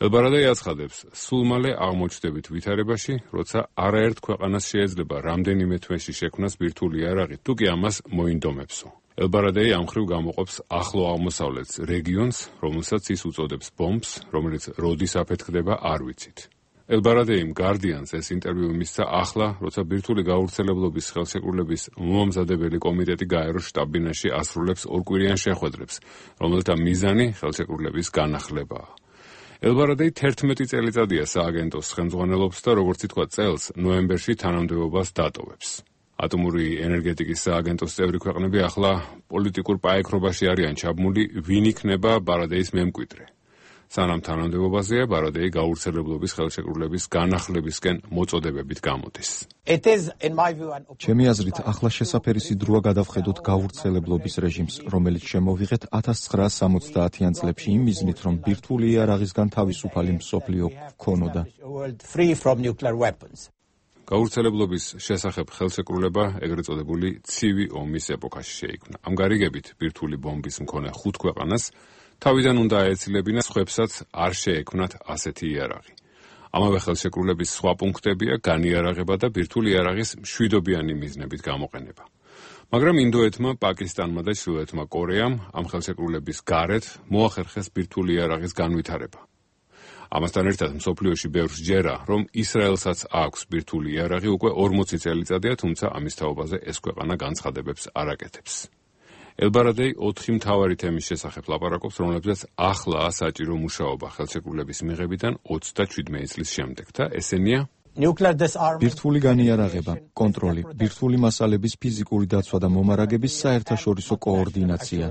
ელ-ბარადეი აცხადებს, სულ მალე აღმოჩნდებით ვითარებაში, როცა არაერთ ქვეყანას შეიძლება რამდენიმე თვეში შექმნას ბირთვული იარაღი, თუკი ამას მოინდომებსო. ელ-ბარადეი ამ მხრივ გამოყოფს ახლო აღმოსავლეთს რეგიონს, რომელსაც ის უწოდებს ბომბს, რომელიც როდის აფეთქდება არ ვიცით. ელ-ბარადეიმ Guardian-ს ეს ინტერვიუ მისცა ახლა, როცა ბირთვული გავრცელებლობის ხელშეკრულების მომამზადებელი კომიტეტი გაეროს შტაბ-ბინაში ასრულებს ორკვირიან შეხვედრებს, რომელთა მიზანი ხელშეკრულების განახლებაა. ელ-ბარადეი თერთმეტი წელიწადია სააგენტოს ხელმძღვანელობს და როგორც ითქვა წელს, ნოემბერში თანამდებობას დატოვებს. ატომური ენერგეტიკის სააგენტოს წევრი ქვეყნები ახლა პოლიტიკურ პაექრობაში არიან ჩაბმული, ვინ იქნება ბარადეის მემკვიდრე. სანამ თანამდებობაზეა, ბარადეი გავრცელებლობის ხელშეკრულების განახლებისკენ მოწოდებებით გამოდის. ჩემი აზრით, ახლა შესაფერისი დროა გადავხედოთ გავრცელებლობის რეჟიმს, რომელიც შემოვიღეთ ათას ცხრაასი სამოცდაათიან წლებში იმ მიზნით, რომ ბირთვული იარაღისგან თავისუფალი მსოფლიო გქონოდა. გავრცელებლობის შესახებ ხელშეკრულება ეგრეთ წოდებული ცივი ომის ეპოქაში შეიქმნა. ამ გარიგებით ბირთვული ბომბის მქონე ხუთ ქვეყანას თავიდან უნდა აეცილებინათ, სხვებსაც არ შეექმნათ ასეთი იარაღი. ამავე ხელშეკრულების სხვა პუნქტებია განიარაღება და ბირთვული იარაღის მშვიდობიანი მიზნებით გამოყენება. მაგრამ ინდოეთმა, პაკისტანმა და ჩრდილოეთმა კორეამ ამ ხელშეკრულების გარეთ მოახერხეს ბირთვული იარაღის განვითარება. ამასთან ერთად მსოფლიოში ბევრს ჯერა, რომ ისრაელსაც აქვს ბირთვული იარაღი უკვე ორმოცი წელიწადია, თუმცა ამის თაობაზე ეს ქვეყანა განცხადებებს არ აკეთებს. ელბარადეი ოთხი მთავარი თემის შესახებ ლაპარაკობს, რომლებზეც ახლაა საჭირო მუშაობა ხელშეკრულების მიღებიდან ოცდაშვიდმეტი წლის შემდეგ და ესენია: ბირთვული განიარაღება, კონტროლი, ბირთვული მასალების ფიზიკური დაცვა და მომარაგების საერთაშორისო კოორდინაცია.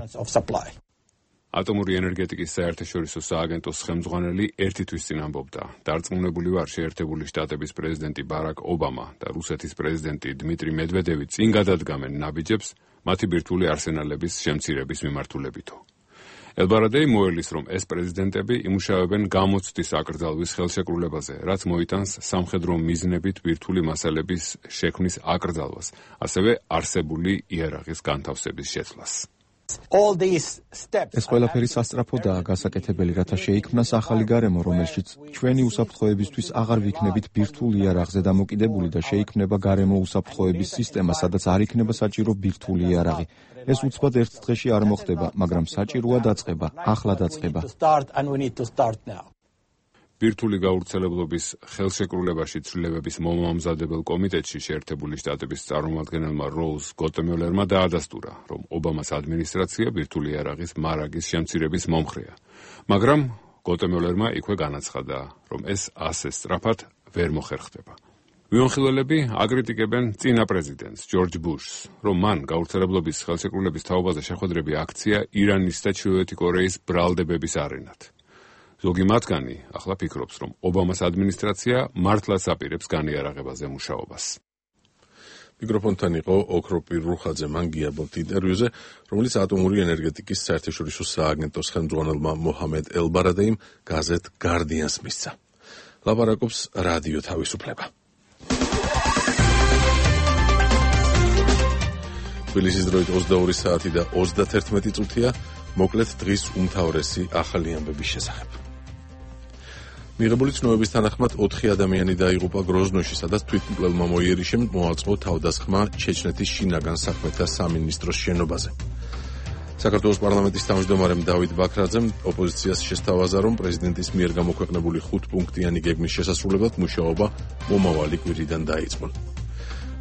ატომური ენერგეტიკის საერთაშორისო სააგენტოს ხელმძღვანელი ერთი თვის წინ ამბობდა: დარწმუნებული ვარ, შეერთებული შტატების პრეზიდენტი ბარაკ ობამა და რუსეთის პრეზიდენტი დმიტრი მედვედევი წინ გადადგამენ ნაბიჯებს მათი ბირთვული არსენალების შემცირების მიმართულებითო. ელბარადეი მოელის, რომ ეს პრეზიდენტები იმუშავებენ გამოცდის აკრძალვის ხელშეკრულებაზე, რაც მოიტანს სამხედრო მიზნებით ბირთვული მასალების შექმნის აკრძალვას, ასევე არსებული იარაღის განთავსების შეცვლას. ეს ყველაფერი სასწრაფოდაა გასაკეთებელი, რათა შეიქმნას ახალი გარემო, რომელშიც ჩვენი უსაფრთხოებისთვის აღარ ვიქნებით ბირთვულ იარაღზე დამოკიდებული და შეიქმნება გარემო უსაფრთხოების სისტემა, სადაც არ იქნება საჭირო ბირთვული იარაღი. ეს უცბად ერთ დღეში არ მოხდება, მაგრამ საჭიროა დაწყება, ახლა დაწყება. ბირთვული გავრცელებლობის ხელშეკრულებაში ცვლილებების მომამზადებელ კომიტეტში შეერთებული შტატების წარმომადგენელმა როუზ გოტემიოლერმა დაადასტურა, რომ ობამას ადმინისტრაცია ბირთვული იარაღის მარაგის შემცირების მომხრეა. მაგრამ გოტემიოლერმა იქვე განაცხადა, რომ ეს ასე სწრაფად ვერ მოხერხდება. ვიონხილველები აკრიტიკებენ წინა პრეზიდენტს ჯორჯ ბუშს, რომ მან გავრცელებლობის ხელშეკრულების თაობაზე შეხვედრები აქცია ირანის და ჩრდილოეთი კორეის ბრალდებების არენად. ზოგი მათგანი ახლა ფიქრობს, რომ ობამას ადმინისტრაცია მართლაც აპირებს განიარაღებაზე მუშაობას. მიკროფონთან იყო ოქროპირ რუხაძე, მან გიაბობთ ინტერვიუზე, რომელიც ატომური ენერგეტიკის საერთაშორისო სააგენტოს ხელმძღვანელმა მოჰამედ ელბარადეიმ გაზეთ გარდიანს მისცა. ლაპარაკობს რადიო თავისუფლება. თბილისის დროით ოცდაორი საათი და ოცდათერთმეტი წუთია, მოკლედ დღის უმთავრესი ახალი ამბების შესახებ. მიღებული ცნობების თანახმად ოთხი ადამიანი დაიღუპა გროზნოში, სადაც თვითმკვლელმა მოიერიშემ მოაწყო თავდასხმა ჩეჩნეთის შინაგან საქმეთა სამინისტროს შენობაზე. საქართველოს პარლამენტის თავმჯდომარემ დავით ბაქრაძემ ოპოზიციას შესთავაზა, რომ პრეზიდენტის მიერ გამოქვეყნებული ხუთპუნქტიანი გეგმის შესასრულებლად მუშაობა მომავალი კვირიდან დაიწყო.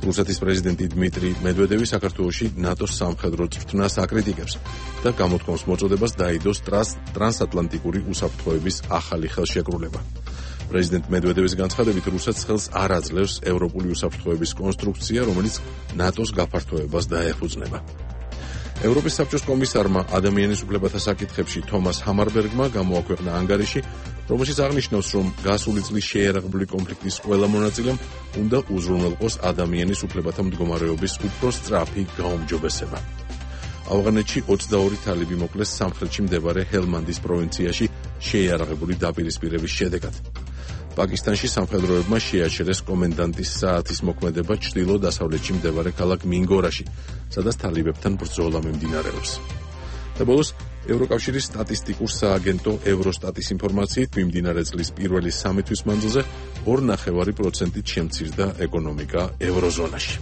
რუსეთის პრეზიდენტი დმიტრი მედვედევი საქართველოში ნატოს სამხედრო წვრთნას აკრიტიკებს და გამოთქვამს მოწოდებას დაიდოს ტრანსატლანტიკური უსაფრთხოების ახალი ხელშეკრულება. პრეზიდენტ მედვედევის განცხადებით, რუსეთს ხელს არ აძლევს ევროპული უსაფრთხოების კონსტრუქცია, რომელიც ნატოს გაფართოებას დაეფუძნება. ევროპის საბჭოს კომისარმა ადამიანის უფლებათა საკითხებში თომას ჰამარბერგმა გამოაქვეყნა ანგარიში, რომელშიც აღნიშნავს, რომ გასული წლის შეიარაღებული კონფლიქტის ყველა მონაწილემ უნდა უზრუნველყოს ადამიანის უფლებათა მდგომარეობის უფრო სწრაფი გაუმჯობესება. ავღანეთში ოცდაორი თალიბი მოკლეს სამხრეთში მდებარე ჰელმანდის პროვინციაში შეიარაღებული დაპირისპირების შედეგად. პაკისტანში სამხედროებმა შეაჩერეს კომენდანტის საათის მოქმედება ჩრდილო-დასავლეთში მდებარე ქალაქ მინგორაში, სადაც თალიბებთან ბრძოლა მიმდინარეობს. და ბოლოს ევროკავშირის სტატისტიკურ სააგენტო ევროსტატის ინფორმაციით, მიმდინარე წლის პირველი სამი თვის მანძილზე ორი ნახევარი პროცენტით შემცირდა ეკონომიკა ევროზონაში.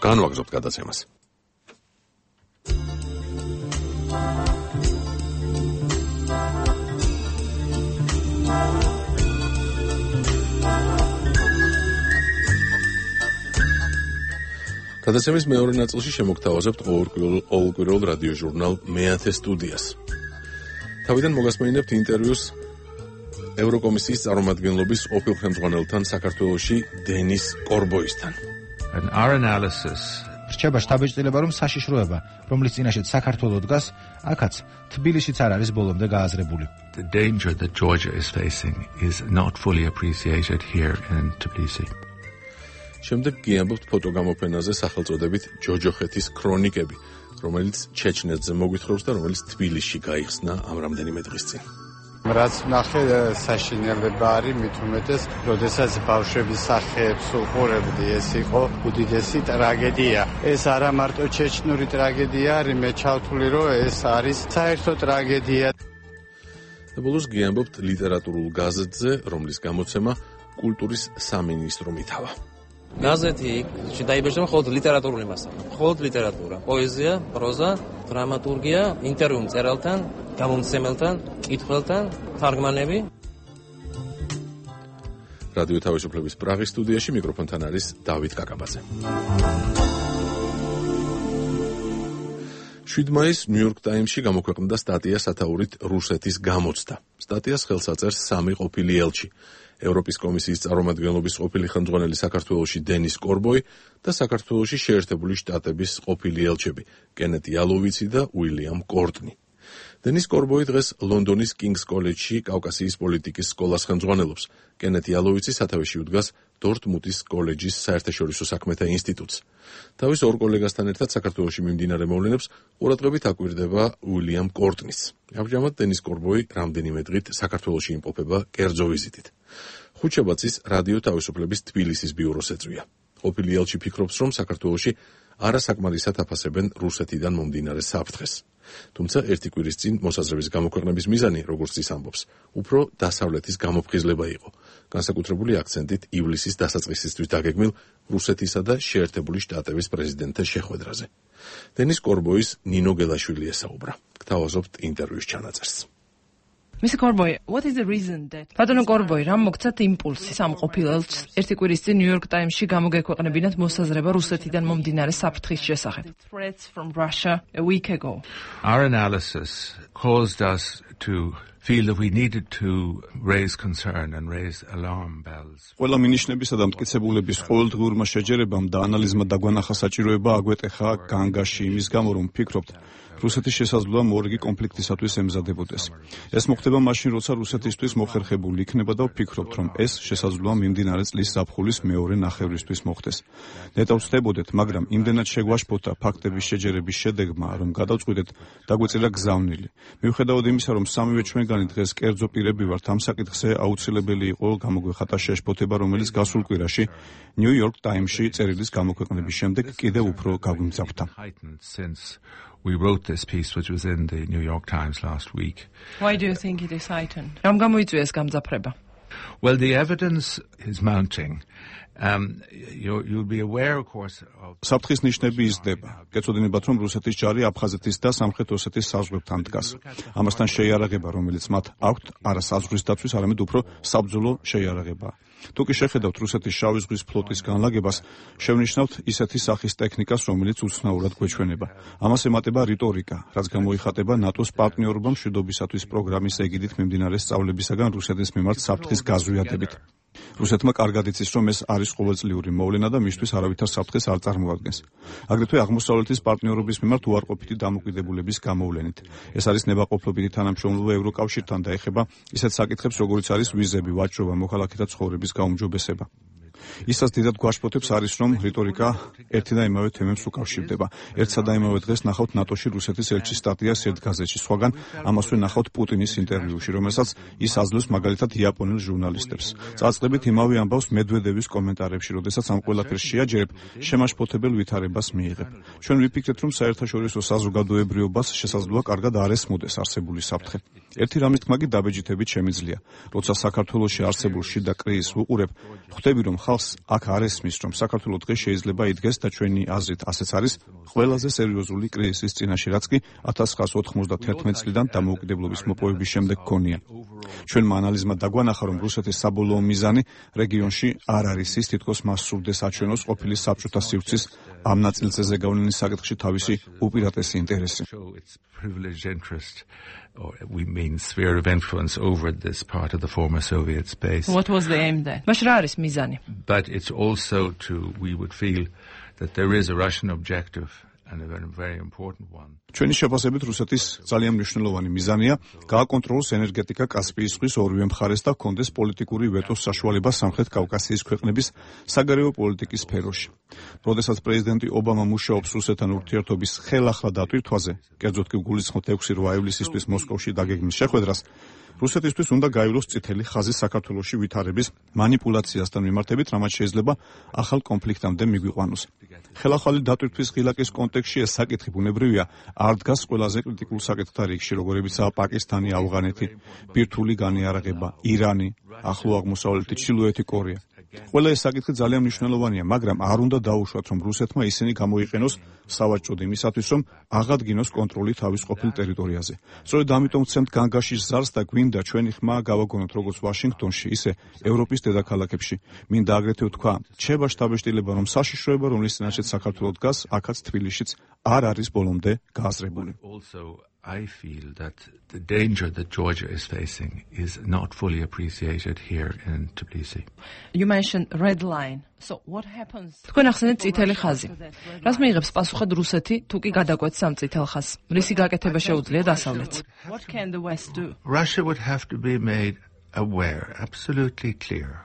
განვაგრძობთ გადაცემას. გადაცემის მეორე ნაწილში შემოგთავაზებთ ყოველკვირეულ რადიო ჟურნალ მეათე სტუდიას. თავიდან მოგასმენინებთ ინტერვიუს ევროკომისიის წარმომადგენლობის ყოფილ ხელმძღვანელთან საქართველოში დენის კორბოისთან. And our analysis რჩება შტაბ-ბიჭდილება, რომ საშიშროება, რომლის წინაშეც საქართველო დგას, აქაც თბილისშიც არ არის ბოლომდე გააზრებული. The danger that Georgia is facing is not fully appreciated here in Tbilisi. შემდეგ გიამბობთ ფოტოგამოფენაზე სახელწოდებით ჯოჯოხეთის ქრონიკები, რომელიც ჩეჩნეთზე მოგვითხრობს და რომელიც თბილისში გაიხსნა ამ რამდენიმე დღის წინ. რაც ნახე საშინელება არის, მით უმეტეს, როდესაც ბავშვების სახეებს უყურებდი, ეს იყო უდიდესი ტრაგედია. ეს არა მარტო ჩეჩნური ტრაგედია არის, მე ჩავთვლი, რომ ეს არის საერთო ტრაგედია. ბოლოს გიამბობთ ლიტერატურულ გაზეთზე, რომლის გამოცემა კულტურის სამინისტრო მითავა. გაზეთი დაიბეჭდა მხოლოდ ლიტერატურული მასალა, მხოლოდ ლიტერატურა, პოეზია, პროზა, დრამატურგია, ინტერვიუ მწერალთან, გამომცემელთან, მკითხველთან, თარგმანები. რადიო თავისუფლების პრაღის სტუდიაში მიკროფონთან არის დავით კაკაბაძე. შვიდ მაისს ნიუ-იორკ ტაიმსში გამოქვეყნდა სტატია სათაურით რუსეთის გამოცდა. სტატიას ხელს აწერს სამი ყოფილი ელჩი. ევროპის კომისიის წარმომადგენლობის ყოფილი ხელმძღვანელი საქართველოში დენის კორბოი და საქართველოში შეერთებული შტატების ყოფილი ელჩები კენეტ იალოვიცი და უილიამ კორტნი. დენის კორბოი დღეს ლონდონის კინგს კოლეჯში კავკასიის პოლიტიკის სკოლას ხელმძღვანელობს. კენეტ იალოვიცი სათავეში უდგას დორტმუნდის კოლეჯის საერთაშორისო საქმეთა ინსტიტუტს. თავის ორ კოლეგასთან ერთად საქართველოში მიმდინარე მოვლენებს ყურადღებით აკვირდება უილიამ კორტნის. ამჟამად დენის კორბოი რამდენიმე დღით საქართველოში იმყოფება კერძო ვიზიტით. ხუთშაბათის რადიო თავისუფლების თბილისის ბიუროს ეწვია. ყოფილი ელჩი ფიქრობს, რომ საქართველოში არასაკმარისად აფასებენ რუსეთიდან მომდინარე საფრთხეს. თუმცა ერთი კვირის წინ მოსაზრების გამოქვეყნების მიზანი, როგორც ის ამბობს, უფრო დასავლეთის გამოფხიზლება იყო, განსაკუთრებული აქცენტით ივლისის დასაწყისისთვის დაგეგმილ რუსეთისა და შეერთებული შტატების პრეზიდენტთა შეხვედრაზე. დენის კორბოის ნინო გელაშვილი ესაუბრა. გთავაზობთ ინტერვიუს ჩანაწერს. Mister Corboy, what is the reason that Ბატონო კორბოი, რამ მოგცათ იმპულსი სამ ყოფილ ელჩს ერთი კვირის წინ ნიუ-იორკ ტაიმსში გამოგექვეყნებინათ მოსაზრება რუსეთიდან მომდინარე საფრთხის შესახებ? Threats from Russia a week ago. Our analysis caused us to feel that we needed to raise concern and raise alarm bells. ყველა მინიშნებისა და მტკიცებულების ყოველდღიურმა შეჯერებამ და ანალიზმა დაგვანახა საჭიროება აგვეტეხა განგაში იმის გამო, რომ ფიქრობთ, რუსეთის შესაძლოა მორიგი კონფლიქტისათვის ემზადებოდეს. ეს მოხდება მაშინ, როცა რუსეთისთვის მოხერხებული იქნება და ვფიქრობთ, რომ ეს შესაძლოა მიმდინარე წლის ზაფხულის მეორე ნახევრისთვის მოხდეს. ნეტავ ვწდებოდეთ, მაგრამ იმდენად შეგვაშფოთა ფაქტების შეჯერების შედეგმა, რომ გადავწყვიტეთ დაგვეწილა გზავნილი. მიუხედავად იმისა, რომ სამივე ჩვენგანი დღეს კერძო პირები ვართ, ამ საკითხზე აუცილებელი იყო გამოგვეხატა შეშფოთება, რომელიც გასულ კვირაში ნიუ-იორკ ტაიმსში წერილის გამოქვეყნების შემდეგ კიდევ უფრო გაგვიმძაფრდა. We wrote this piece which was in the New York Times last week. Why do you think it is heightened? რამ გამოიწვია ეს გამძაფრება? Well, the evidence is mounting. Um, you, you'll be aware, of course, of... საფრთხის ნიშნები იზრდება. გეცოდინებათ, რომ რუსეთის ჯარი აფხაზეთის და სამხრეთ ოსეთის საზღვრებთან დგას. ამასთან შეიარაღება, რომელიც მათ აქვთ, არა საზღვრის დაცვის, არამედ უფრო საბრძოლო შეიარაღება. თუ კი შეხედავთ რუსეთის შავი ზღვის ფლოტის განლაგებას, შევნიშნავთ ისეთი სახის ტექნიკას, რომელიც უცნაურად გვეჩვენება. ამას ემატება რიტორიკა, რაც გამოიხატება ნატოს პარტნიორობა მშვიდობისათვის პროგრამის ეგიდით მიმდინარე სწავლებისაგან რუსეთის მიმართ საფრთხის გაზვიადებით. რუსეთმა კარგად იცის, რომ ეს არის ყოველწლიური მოვლენა და მისთვის არავითარ საფრთხეს არ წარმოადგენს. აგრეთვე აღმოსავლეთის პარტნიორობის მიმართ უარყოფითი დამოკიდებულების გამოვლენით. ეს არის ნებაყოფლობითი თანამშრომლობა ევროკავშირთან და ეხება ისეთ საკითხებს, როგორიც არის ვიზები, ვაჭრობა, მოქალაქეთა ცხოვრების გაუმჯობესება. ისაც დიდად გვაშფოთებს არის, რომ რიტორიკა ერთი და იმავე თემებს უკავშირდება. ერთსა და იმავე დღეს ნახავთ ნატოში რუსეთის ელჩის სტატიას ერთ გაზეთში, სხვაგან ამასვე ნახავთ პუტინის ინტერვიუში, რომელსაც ის აძლევს მაგალითად იაპონელ ჟურნალისტებს. წაწყდებით იმავე ამბავს მედვედევის კომენტარებში, როდესაც ამ ყველაფერს შეაჯერებ, შემაშფოთებელ ვითარებას მიიღებ. ჩვენ ვიფიქრეთ, რომ საერთაშორისო საზოგადოებრიობას შესაძლოა კარგად არ ესმოდეს არსებული საფრთხე. ერთი რამის თქმა კი დაბეჯითებით შემიძლია. როცა საქართველოში არსებულ შიდა კრიზისს ვუყურებ, ხვდები, რომ ხალხს აქ არ ესმის, რომ საქართველოს დღეს შეიძლება იდგეს და ჩვენი აზრით ასეც არის ყველაზე სერიოზული კრიზისის წინაშე, რაც კი ათას ცხრაას ოთხმოცდათერთმეტი წლიდან დამოუკიდებლობის მოპოვების შემდეგ გქონია. ჩვენმა ანალიზმა დაგვანახა, რომ რუსეთის საბოლოო მიზანი რეგიონში არ არის ის, თითქოს მას სურდეს აჩვენოს ყოფილი საბჭოთა სივრცის ამ ნაწილზე გავლენის საკითხში თავისი უპირატესი ინტერესი. Privileged interest, or we mean sphere of influence over this part of the former Soviet space. What was the aim then? მაშ რა არის მიზანი? But it's also to, we would feel that there is a Russian objective and a very, very important one. ჩვენი შეფასებით რუსეთის ძალიან მნიშვნელოვანი მიზანია გააკონტროლოს ენერგეტიკა კასპიის ზღვის ორივე მხარეს და ჰქონდეს პოლიტიკური ვეტოს საშუალება სამხრეთ კავკასიის ქვეყნების საგარეო პოლიტიკის სფეროში. როდესაც პრეზიდენტი ობამა მუშაობს რუსეთთან ურთიერთობის ხელახლა დატვირთვაზე, კერძოდ კი გულისხმობთ ექვსი რვა ივლისისთვის მოსკოვში დაგეგმის შეხვედრას, რუსეთისთვის უნდა გაივლოს წითელი ხაზი საქართველოში ვითარების მანიპულაციასთან მიმართებით, რამაც შეიძლება ახალ კონფლიქტამდე მიგვიყვანოს. ხელახალი დატვირთვის ღილაკის კონტექსტში ეს საკითხი ბუნებრივია არ დგას ყველაზე კრიტიკულ საკითხთა რიგში, როგორებიცაა პაკისტანი, ავღანეთი, ბირთვული განიარაღება, ირანი, ახლო აღმოსავლეთი, ჩრდილოეთი კორეა. ყველა ეს საკითხი ძალიან მნიშვნელოვანია, მაგრამ არ უნდა დაუშვათ, რომ რუსეთმა ისინი გამოიყენოს სავაჭროდ იმისათვის, რომ აღადგინოს კონტროლი თავის ყოფილ ტერიტორიაზე. სწორედ ამიტომ ვცემთ განგაშის ზარს და გვინდა ჩვენი ხმა გავაგონოთ როგორც ვაშინგტონში, ისე ევროპის დედაქალაქებში. მინდა აგრეთვე ვთქვა, რჩება შთაბეჭდილება, რომ საშიშროება, რომლის წინაშეც საქართველო დგას, აქაც თბილისშიც არ არის ბოლომდე გააზრებული. I feel that the danger that Georgia is facing is not fully appreciated here in Tbilisi. You mentioned red line. So what happens? თქვენ ახსენეთ წითელი ხაზი. რას მიიღებს პასუხად რუსეთი, თუ კი გადაკვეთს ამ წითელ ხაზს? რისი გაკეთება შეუძლია დასავლეთს? What can the West do? Russia would have to be made aware, absolutely clear,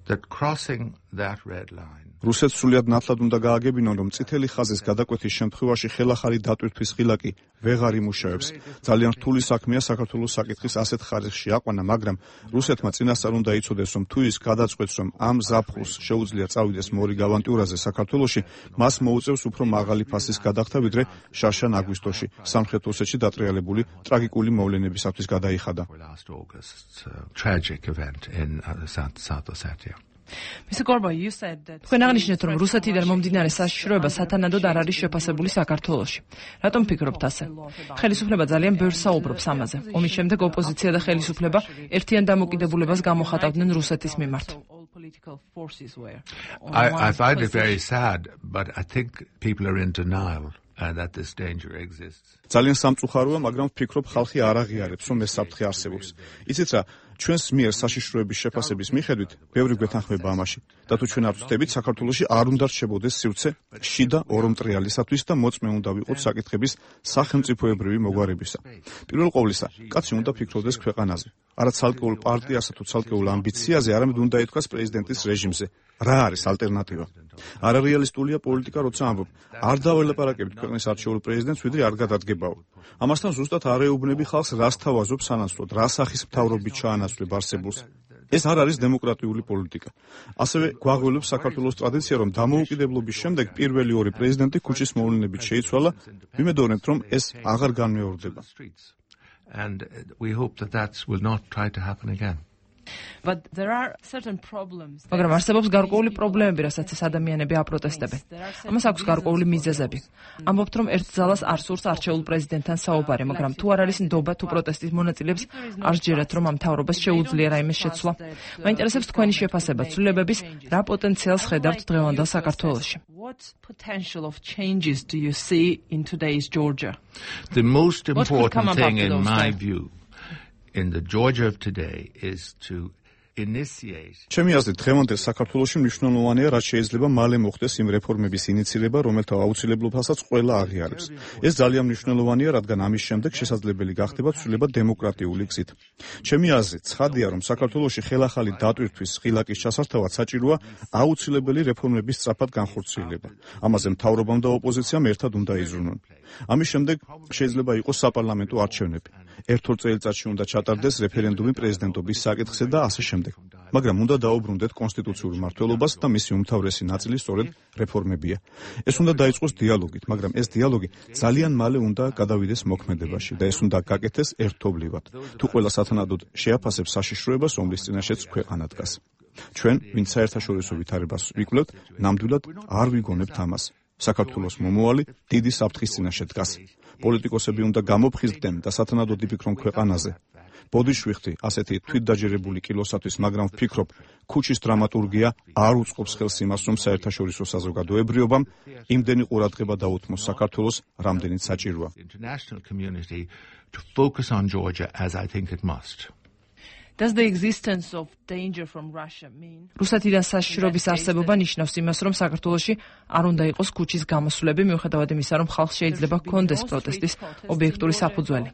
that crossing that red line რუსეთს სულიად ნათლად უნდა გააგებინონ, რომ წითელი ხაზის გადაკვეთის შემთხვევაში ხელახალი დატვირთვის ღილაკი ვეღარ იმუშავებს. ძალიან რთული საქმეა საქართველოს საკითხის ასეთ ხარისხში აყვანა, მაგრამ რუსეთმა წინასწარ უნდა იცოდეს, რომ თუ ის გადაწყვეტს, რომ ამ ზაფხულს შეუძლია წავიდეს მორიგ ავანტიურაზე საქართველოში, მას მოუწევს უფრო მაღალი ფასის გადახდა, ვიდრე შაშან აგვისტოში სამხრეთ ოსეთში დატრიალებული ტრაგიკული მოვლენებისათვის გადაიხადა. თქვენ აღნიშნეთ, რომ რუსეთიდან მომდინარე საშიშროება სათანადოდ არ არის შეფასებული საქართველოში. რატომ ფიქრობთ ასე? ხელისუფლება ძალიან ბევრს საუბრობს ამაზე. ომის შემდეგ ოპოზიცია და ხელისუფლება ერთიან დამოკიდებულებას გამოხატავდნენ რუსეთის მიმართ. I, I find it very sad, but I think people are in denial. And that this danger exists. ძალიან სამწუხაროა, მაგრამ ვფიქრობ, ხალხი არ აღიარებს, რომ ეს საფრთხე არსებობს. იცით რა, ჩვენს მიერ საშიშროების შეფასების მიხედვით, ბევრი გვეთანხმება ამაში. და თუ ჩვენ არ ვწდებით, საქართველოში არ უნდა რჩებოდეს სივრცე შიდა ორომტრიალისათვის და მოწმე უნდა ვიყოთ საკითხების სახელმწიფოებრივი მოგვარებისა. პირველ ყოვლისა, კაცი უნდა ფიქრობდეს ქვეყანაზე. არა ცალკეულ პარტიასა თუ ცალკეულ ამბიციაზე, არამედ უნდა ითქვას პრეზიდენტის რეჟიმზე. რა არის ალტერნატივა? არარეალისტულია პოლიტიკა, როცა ამბობ, არ დაველაპარაკებით ქვეყნის არჩეულ პრეზიდენტს, ვიდრე არ გადადგებაო. ამასთან ზუსტად არ ეუბნები ხალხს, რას თავაზობ სანაცვლოდ, რა სახის მთავრობით ჩაანაცვლებ არსებულს. ეს არ არის დემოკრატიული პოლიტიკა. ასევე გვაღველებს საქართველოს ტრადიცია, რომ დამოუკიდებლობის შემდეგ პირველი ორი პრეზიდენტი ქუჩის მოვლენებით შეიცვალა, ვიმედოვნებთ, რომ ეს აღარ განმეორდება. And we hope that that will not try to happen again. But there are certain problems. მაგრამ არსებობს გარკვეული პრობლემები, რასაც ეს ადამიანები აპროტესტებენ. ამას აქვს გარკვეული მიზეზები. ამბობთ, რომ ერთ ძალას არ სურს არჩეულ პრეზიდენტთან საუბარი, მაგრამ თუ არ არის ნდობა თუ პროტესტის მონაწილეებს არ სჯერათ, რომ ამ მთავრობას შეუძლია რაიმეს შეცვლა. მაინტერესებს თქვენი შეფასება ცვლილებების რა პოტენციალს ხედავთ დღევანდელ საქართველოში. What potential of changes do you see in today's Georgia? The most important thing in my view in the Georgia of today is to initiate. ჩემი აზრით, დღევანდელ საქართველოში მნიშვნელოვანია, რაც შეიძლება მალე მოხდეს იმ რეფორმების ინიცირება, რომელთა აუცილებლობასაც ყველა აღიარებს. ეს ძალიან მნიშვნელოვანია, რადგან ამის შემდეგ შესაძლებელი გახდება ცვლილება დემოკრატიული გზით. ჩემი აზრით, ცხადია, რომ საქართველოში ხელახალი დატვირთვის ღილაკის ჩასართავად საჭიროა აუცილებელი რეფორმების სწრაფად განხორციელება. ამაზე მთავრობამ და ოპოზიციამ ერთად უნდა იზრუნონ. ამის შემდეგ შეიძლება იყოს საპარლამენტო არჩევნები. ერთ-ორ წელიწადში უნდა ჩატარდეს რეფერენდუმი პრეზიდენტობის საკითხზე და ასე შემდეგ. მაგრამ უნდა დაუბრუნდეთ კონსტიტუციურ მმართველობას და მისი უმთავრესი ნაწილი სწორედ რეფორმებია. ეს უნდა დაიწყოს დიალოგით, მაგრამ ეს დიალოგი ძალიან მალე უნდა გადავიდეს მოქმედებაში და ეს უნდა გაკეთდეს ერთობლივად. თუ ყველა სათანადოდ შეაფასებს საშიშროებას, რომლის წინაშეც ქვეყანა დგას. ჩვენ, ვინც საერთაშორისო ვითარებას ვიკვლევთ, ნამდვილად არ ვიგონებთ ამას. საქართველოს მომავალი დიდი საფრთხის წინაშე დგას. პოლიტიკოსები უნდა გამოფხიზდნენ და სათანადოდ იფიქრონ ქვეყანაზე. ბოდიში ვიხდი ასეთი თვითდაჯერებული კილოსათვის, მაგრამ ვფიქრობ, ქუჩის დრამატურგია არ უწყობს ხელს იმას, რომ საერთაშორისო საზოგადოებრიობამ იმდენი ყურადღება დაუთმოს საქართველოს, რამდენიც საჭიროა. International community to focus on Georgia as I think it must. Does the existence of danger from Russia mean? რუსეთიდან საშიშროების არსებობა ნიშნავს იმას, რომ საქართველოში არ უნდა იყოს ქუჩის გამოსვლები, მიუხედავად იმისა, რომ ხალხს შეიძლება ჰქონდეს პროტესტის ობიექტური საფუძველი.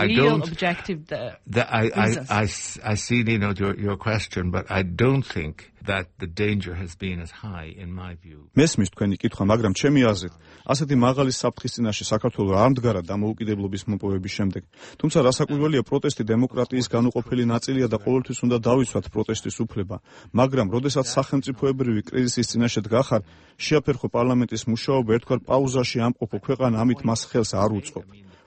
I don't objective the, the I, I, I, I see you know, your, your question, but I don't think that the danger has been as high in my view. მესმის თქვენი კითხვა, მაგრამ ჩემი აზრით, ასეთი მაღალი საფრთხის წინაშე საქართველო არ მდგარა დამოუკიდებლობის მოპოვების შემდეგ. თუმცა რასაკვირველია, პროტესტი დემოკრატიის განუყოფელი ნაწილია და ყოველთვის უნდა დავიცვათ პროტესტის უფლება. მაგრამ, როდესაც სახელმწიფოებრივი კრიზისის წინაშე დგახარ, შეაფერხო პარლამენტის მუშაობა, ერთგვარ პაუზაში ამყოფო ქვეყანა ამით მას ხელს არ უწყობ.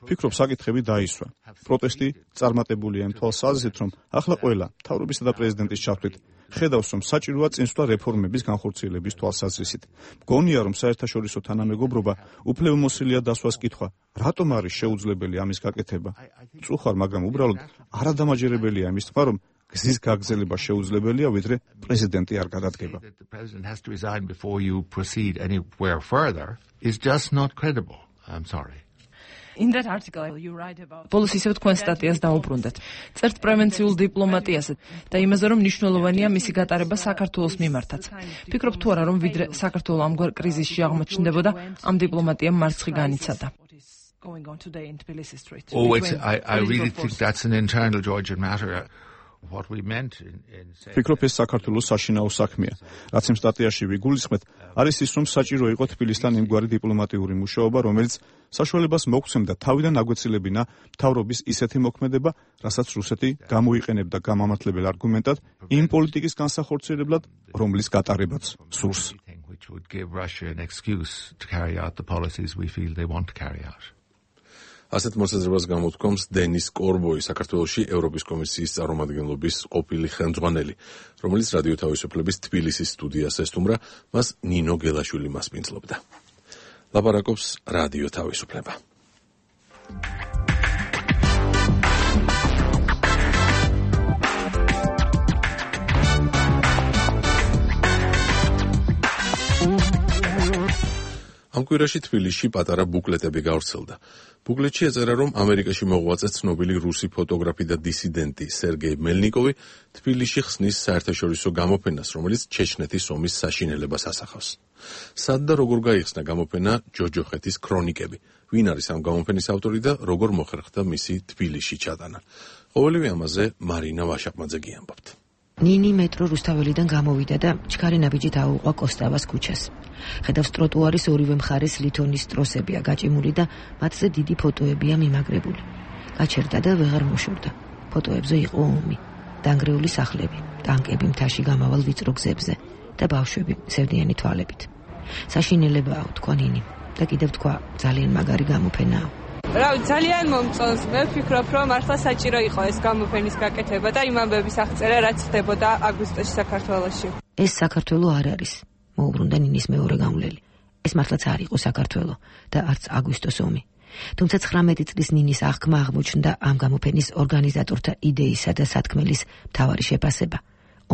ფიქრობ, საკითხები დაისვა. პროტესტი წარმატებულია იმ თვალსაზრისით, რომ ახლა ყველა მთავრობისა და პრეზიდენტის ჩართვით ხედავს, რომ საჭიროა წინსვლა რეფორმების განხორციელების თვალსაზრისით. მგონია, რომ საერთაშორისო თანამეგობრობა უფლებამოსილია დასვას კითხვა, რატომ არის შეუძლებელი ამის გაკეთება. წუხარ, მაგრამ უბრალოდ არადამაჯერებელია იმის თქმა, რომ გზის გაგრძელება შეუძლებელია, ვიდრე პრეზიდენტი არ გადადგება. The president has to resign before you proceed anywhere further is just not credible. I'm sorry. In that article you write about ბოლოს ისევ თქვენ სტატიას დაუბრუნდეთ. წერთ პრევენციულ დიპლომატიაზე და იმაზე, რომ მნიშვნელოვანია მისი გატარება საქართველოს მიმართაც. ფიქრობ თუ არა, რომ ვიდრე საქართველო ამგვარ კრიზისში აღმოჩნდებოდა, ამ დიპლომატიამ მარცხი განიცადა. Oh, it's, I, I really think that's an internal Georgian matter. What we meant in, in ფიქრობ, ეს საქართველოს საშინაო საქმეა. რაც იმ სტატიაში ვიგულისხმეთ, არის ის, რომ საჭირო იყო თბილისთან იმგვარი დიპლომატიური მუშაობა, რომელიც საშუალებას მოგცემდა თავიდან აგვეცილებინა მთავრობის ისეთი მოქმედება, რასაც რუსეთი გამოიყენებდა გამამართლებელ არგუმენტად იმ პოლიტიკის განსახორციელებლად, რომლის გატარებაც სურს. which would give Russia an excuse to carry out the policies we feel they want to carry out. ასეთ მოსაზრებას გამოთქვამს დენის კორბოი, საქართველოში ევროპის კომისიის წარმომადგენლობის ყოფილი ხელმძღვანელი, რომელიც რადიო თავისუფლების თბილისის სტუდიას ესტუმრა, მას ნინო გელაშვილი მასპინძლობდა. ლაპარაკობს რადიო თავისუფლება. ამ კვირაში თბილისში პატარა ბუკლეტები გავრცელდა. ბუკლეტში ეწერა, რომ ამერიკაში მოღვაწე ცნობილი რუსი ფოტოგრაფი და დისიდენტი სერგეი მელნიკოვი თბილისში ხსნის საერთაშორისო გამოფენას, რომელიც ჩეჩნეთის ომის საშინელებას ასახავს. სად და როგორ გაიხსნა გამოფენა ჯოჯოხეთის ქრონიკები? ვინ არის ამ გამოფენის ავტორი და როგორ მოხერხდა მისი თბილისში ჩატანა? ყოველივე ამაზე მარინა ვაშაყმაძე გიამბობთ. ნინი მეტრო რუსთაველიდან გამოვიდა და ჩქარი ნაბიჯით აუყვა კოსტავას ქუჩას. ხედავს ტროტუარის ორივე მხარეს ლითონის ტროსებია გაჭიმული და მათზე დიდი ფოტოებია მიმაგრებული. გაჩერდა და ვეღარ მოშორდა. ფოტოებზე იყო ომი, დანგრეული სახლები, ტანკები მთაში გამავალ ვიწრო გზებზე და ბავშვები სევდიანი თვალებით. საშინელებაა, თქვა ნინი და კიდევ თქვა, ძალიან მაგარი გამოფენაა. რავი, ძალიან მომწონს. მე ვფიქრობ, რომ მართლა საჭირო იყო ეს გამოფენის გაკეთება და იმ ამბების აღწერა, რაც ხდებოდა აგვისტოში საქართველოში. ეს საქართველო არ არის, მოუბრუნდა ნინის მეორე გამვლელი. ეს მართლაც არ იყო საქართველო და არც აგვისტოს ომი. თუმცა ცხრამეტი წლის ნინის აღქმა აღმოჩნდა ამ გამოფენის ორგანიზატორთა იდეისა და სათქმელის მთავარი შეფასება.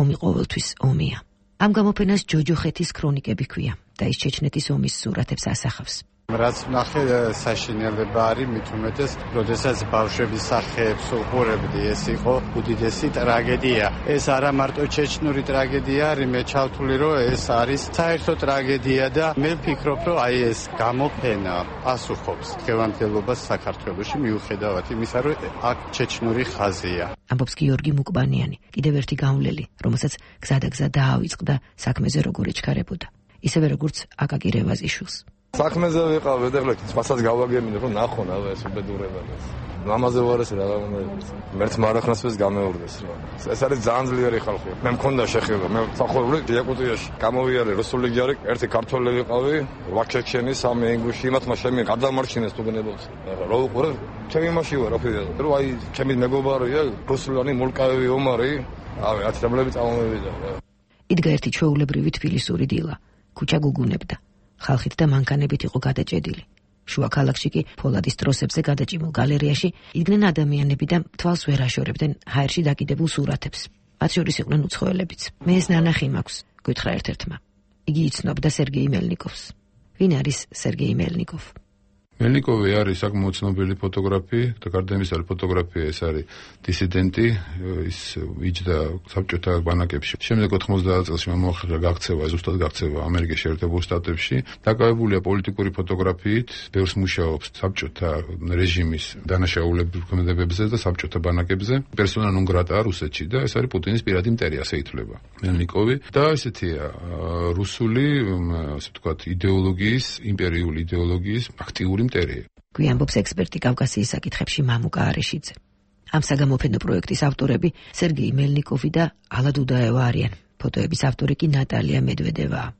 ომი ყოველთვის ომია. ამ გამოფენას ჯოჯოხეთის ქრონიკები ჰქვია და ის ჩეჩნეთის ომის სურათებს ასახავს. რაც ნახე საშინელება არის, მით უმეტეს, როდესაც ბავშვების სახეებს უყურებდი, ეს იყო უდიდესი ტრაგედია. ეს არა მარტო ჩეჩნური ტრაგედია არის, მე ჩავთვლი, რომ ეს არის საერთო ტრაგედია და მე ვფიქრობ, რომ აი ეს გამოფენა პასუხობს დღევანდელობას საქართველოში, მიუხედავად იმისა, რომ აქ ჩეჩნური ხაზია. ამბობს გიორგი მუკბანიანი, კიდევ ერთი გამვლელი, რომელსაც გზადაგზა დაავიწყდა საქმეზე როგორ ეჩქარებოდა, ისევე როგორც აკაკი რევაზიშვილს. საქმეზე ვიყავ, ეხლა სხვასაც გავაგებინე, რომ ნახონ აბა ეს უბედურებადას. მამაზე ვარ ეს რა უნდა იყოს. მერც მარახნასպես გამეორდეს რა. ეს არის ძალიან ძლიერი ხალხი. მე მქონდა შეხება, მე სახურული დიაკუტიაში გამოვიარე რუსული ჯარი, ერთი ქართველი ვიყავი, ვაქეჩენი სამი ინგლისში, იმათმა შემი გადამარჩინეს თუგნებობს. ეხლა რო უყურე, ჩემი იმაში ვარ, აფიდე. რომ აი ჩემი მეგობარია, რუსულანი მულკავი ომარი, აი ათრებლები წამომევიდა. იდგა ერთი ჩვეულებრივი თბილისური დილა, ქუჩა გუგუნებდა. ხალხით და მანქანებით იყო გადაჭედილი. შუა ქალაქში კი ფოლადის ტროსებზე გადაჭიმულ გალერეაში იდგნენ ადამიანები და თვალს ვერ აშორებდნენ ჰაერში დაკიდებულ სურათებს. მათ შორის იყვნენ უცხოელებიც. მე ეს ნანახი მაქვს, გითხრა ერთ-ერთმა. იგი იცნობდა სერგეი მელნიკოვს. ვინ არის სერგეი მელნიკოვი? მელნიკოვი არის საკმაოდ ცნობილი ფოტოგრაფი და გარდა ამისა ფოტოგრაფია ეს არის დისიდენტი, ის იჯდა საბჭოთა ბანაკებში. შემდეგ ოთხმოცდაათ წელს მოახერხა გაქცევა, ზუსტად გაქცევა ამერიკის შეერთებულ შტატებში. დაკავებულია პოლიტიკური ფოტოგრაფიით, ბევრს მუშაობს საბჭოთა რეჟიმის დანაშაულებრივ ქმედებებზე და საბჭოთა ბანაკებზე. პერსონა ნონ გრატაა რუსეთში და ეს არის პუტინის პირადი მტერი, ასე ითვლება მელნიკოვი და ესეთია რუსული, ასე ვთქვათ, იდეოლოგიის, იმპერიული იდეოლოგიის აქტიური მტერია. გვიანბობს ექსპერტი კავკასიის საკითხებში მამუკა არეშიძე. ამ საგამოფენო პროექტის ავტორები სერგეი მელნიკოვი და ალა დუდაევა არიან. ფოტოების ავტორი კი ნატალია მედვედევაა.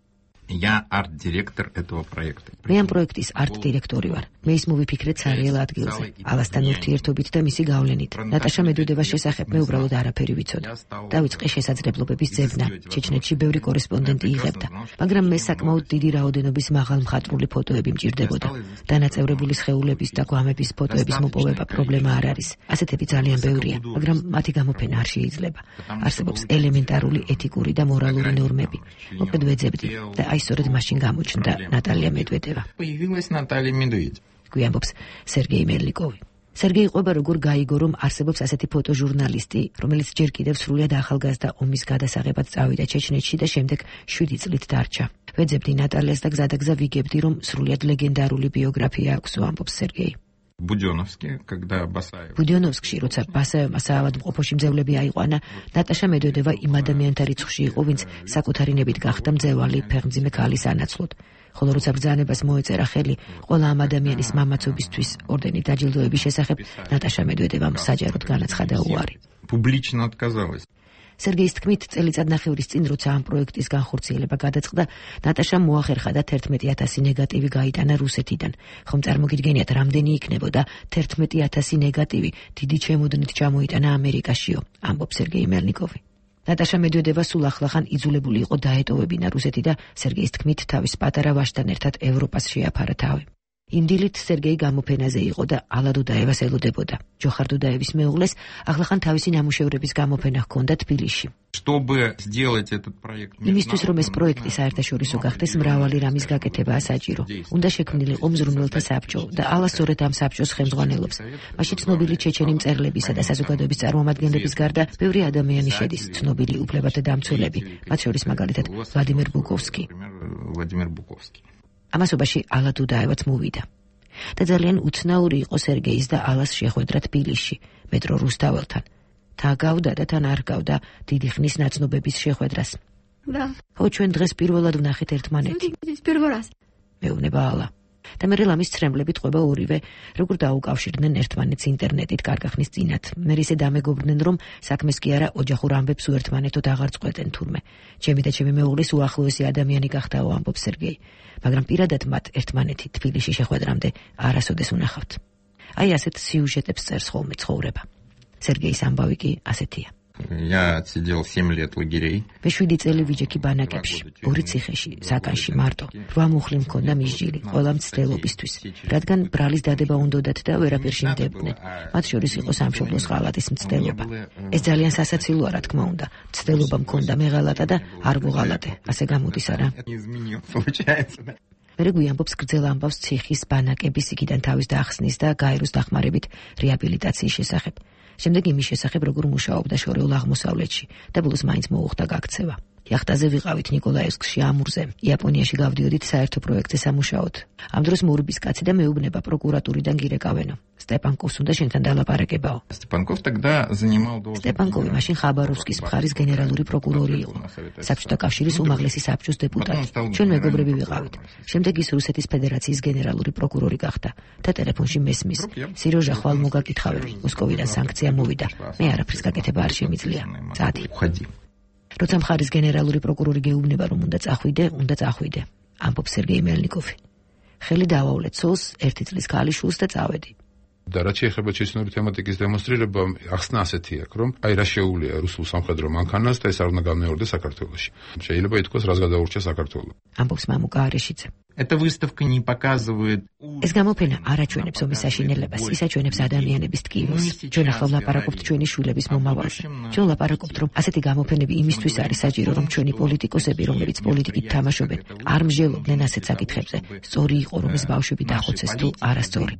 Я арт-директор этого проекта. მე ამ პროექტის არტ-დირექტორი ვარ. მე ის მოვიფიქრეთ სარიელ ადგილზე, ალასთან ურთიერთობით და მისი გავლენით. ნატაშა მედვედევას შესახებ მე უბრალოდ არაფერი ვიცოდი. დავიწყე შესაძლებლობების ძებნა. ჩეჩნეთში ბევრი კორესპონდენტი იღებდა, მაგრამ მე საკმაოდ დიდი რაოდენობის მაღალ მხატვრული ფოტოები მჭირდებოდა. დანაწევრებული სხეულების და გვამების ფოტოების მოპოვება პრობლემა არ არის. ასეთები ძალიან ბევრია, მაგრამ მათი გამოფენა არ შეიძლება. არსებობს ელემენტარული ეთიკური და მორალური ნორმები. მოკლედ ვეძებდი და აი სწორედ მაშინ გამოჩნდა ნატალია მედვედევა. Появилась Наталья Медведева. გვიანბობს სერგეი მელნიკოვი. სერგეი ყვება როგორ გაიგო, რომ არსებობს ასეთი ფოტოჟურნალისტი, რომელიც ჯერ კიდევ სრულიად ახალგაზრდა ომის გადასაღებად წავიდა ჩეჩნეთში და შემდეგ შვიდი წლით დარჩა. ვეძებდი ნატალიას და გზადაგზა ვიგებდი, რომ სრულიად ლეგენდარული ბიოგრაფია აქვს, ამბობს სერგეი. Будённовске, когда Басаев. ბუდიონოვსკში, როცა ბასაევმა საავადმყოფოში მძევლები აიყვანა, ნატაშა მედვედევა იმ ადამიანთა რიცხვში იყო, ვინც საკუთარი ნებით გახდა მძევალი ფეხმძიმე ქალის ანაცვლოდ. ხოლო როცა ბრძანებას მოეწერა ხელი ყველა ამ ადამიანის მამაცობისთვის ორდენით დაჯილდოების შესახებ, ნატაშა მედვედევამ საჯაროდ განაცხადა უარი. Публично отказалась. სერგეის თქმით, წელიწადნახევრის წინ, როცა ამ პროექტის განხორციელება გადაწყდა, ნატაშამ მოახერხა და თერთმეტი ათასი ნეგატივი გაიტანა რუსეთიდან. ხომ წარმოგიდგენიათ, რამდენი იქნებოდა თერთმეტი ათასი ნეგატივი დიდი ჩემოდნით ჩამოიტანა ამერიკაშიო, ამბობს სერგეი მელნიკოვი. ნატაშა მედვედევა სულ ახლახან იძულებული იყო დაეტოვებინა რუსეთი და სერგეის თქმით, თავის პატარა ვაჟთან ერთად ევროპას შეაფარა თავი. იმ დილით სერგეი გამოფენაზე იყო და ალა დუდაევას ელოდებოდა. ჯოხარ დუდაევის მეუღლეს ახლახან თავისი ნამუშევრების გამოფენა ჰქონდა თბილისში. Чтобы сделать этот проект, იმისთვის რომ ეს პროექტი საერთაშორისო გახდეს, მრავალი რამის გაკეთებაა საჭირო. უნდა შექმნილიყო მზრუნველთა საბჭო და ალა სწორედ ამ საბჭოს ხელმძღვანელობს. მაშინ ცნობილი ჩეჩენი მწერლებისა და საზოგადოების წარმომადგენლების გარდა ბევრი ადამიანი შედის, ცნობილი უფლებათა დამცველები, მათ შორის მაგალითად ვლადიმერ ბუკოვსკი. Владимир Буковский. ამასობაში ალა დუდაევაც მოვიდა. და ძალიან უცნაური იყო სერგეის და ალას შეხვედრა თბილისში, მეტრო რუსთაველთან. თა გავდა და თან არ გავდა დიდი ხნის ნაცნობების შეხვედრას. Да. ხო, ჩვენ დღეს პირველად ვნახეთ ერთმანეთი. Первый раз. მეუბნება ალა. და მე ლამის ცრემლებით ყვება ორივე, როგორ დაუკავშირდნენ ერთმანეთს ინტერნეტით კარგახნის წინათ. მე ისე დამეგობრდნენ, რომ საქმეს კი არა ოჯახურ ამბებს უერთმანეთოდ აღარ წყვეტენ თურმე. ჩემი და ჩემი მეუღლის უახლოესი ადამიანი გახდაო, ამბობს სერგეი. მაგრამ პირადად მათ ერთმანეთი თბილისში შეხვედრამდე არასოდეს უნახავთ. აი ასეთ სიუჟეტებს წერს ხოლმე ცხოვრება. სერგეის ამბავი კი ასეთია. Я отсидел семь лет лагерей. მე შვიდი წელი ვიჯექი ბანაკებში, ორი ციხეში, საკანში მარტო. რვა მუხლი მქონდა მისჯილი, ყველა მცდელობისთვის, რადგან ბრალის დადება უნდოდათ და ვერაფერ შინდებდნენ. მათ შორის იყო სამშობლოს ღალატის მცდელობა. ეს ძალიან სასაცილოა, რა თქმა უნდა. მცდელობა მქონდა მეღალატა და არ ვუღალატე, ასე გამოდის არა? მერე გვიანბობს გრძელ ამბავს ციხის, ბანაკების, იქიდან თავის დახსნის და გაეროს დახმარებით რეაბილიტაციის შესახებ. შემდეგ იმის შესახებ, როგორ მუშაობდა შორეულ აღმოსავლეთში და ბოლოს მაინც მოუხდა გაქცევა. იახტაზე ვიყავით ნიკოლაევსკში, ამურზე. იაპონიაში გავდიოდით საერთო პროექტზე სამუშაოდ. ამ დროს მორბის კაცი და მეუბნება პროკურატურიდან გირეკავენო. სტეპანკოვს უნდა შენთან დალაპარაკებაო. Степанков тогда занимал должность. სტეპანკოვი მაშინ ხაბაროვსკის მხარის გენერალური პროკურორი იყო. საბჭოთა კავშირის უმაღლესი საბჭოს დეპუტატი. ჩვენ მეგობრები ვიყავით. შემდეგ ის რუსეთის ფედერაციის გენერალური პროკურორი გახდა და ტელეფონში მესმის. სიროჟა ხვალ მოგაკითხავები. მოსკოვიდან სანქცია მოვიდა. მე არაფრის გაკეთება არ შემიძლია. წადი. როცა მხარის გენერალური პროკურორი გეუბნება, რომ უნდა წახვიდე, უნდა წახვიდე, ამბობს სერგეი მელნიკოვი. ხელი დავავლე ცოლს, ერთი წლის ქალიშვილს და წავედი. და რაც შეეხება ჩეჩნური თემატიკის დემონსტრირება, ახსნა ასეთი აქვს, რომ აი რა შეუულია რუსულ სამხედრო მანქანას და ეს არ უნდა გამეორდეს საქართველოში. შეიძლება ითქვას, რას გადაურჩა საქართველო. ამბობს მამუკა არეშიძე. Эта выставка не показывает... ეს გამოფენა არ აჩვენებს ომის საშინელებას, ის აჩვენებს ადამიანების ტკივილს. ჩვენ ახლა ვლაპარაკობთ ჩვენი შვილების მომავალზე. ჩვენ ვლაპარაკობთ, რომ ასეთი გამოფენები იმისთვის არის საჭირო, რომ ჩვენი პოლიტიკოსები, რომლებიც პოლიტიკით თამაშობენ, არ მსჯელობდნენ ასეთ საკითხებზე. სწორი იყო, რომ ეს ბავშვები დახოცეს თუ არასწორი.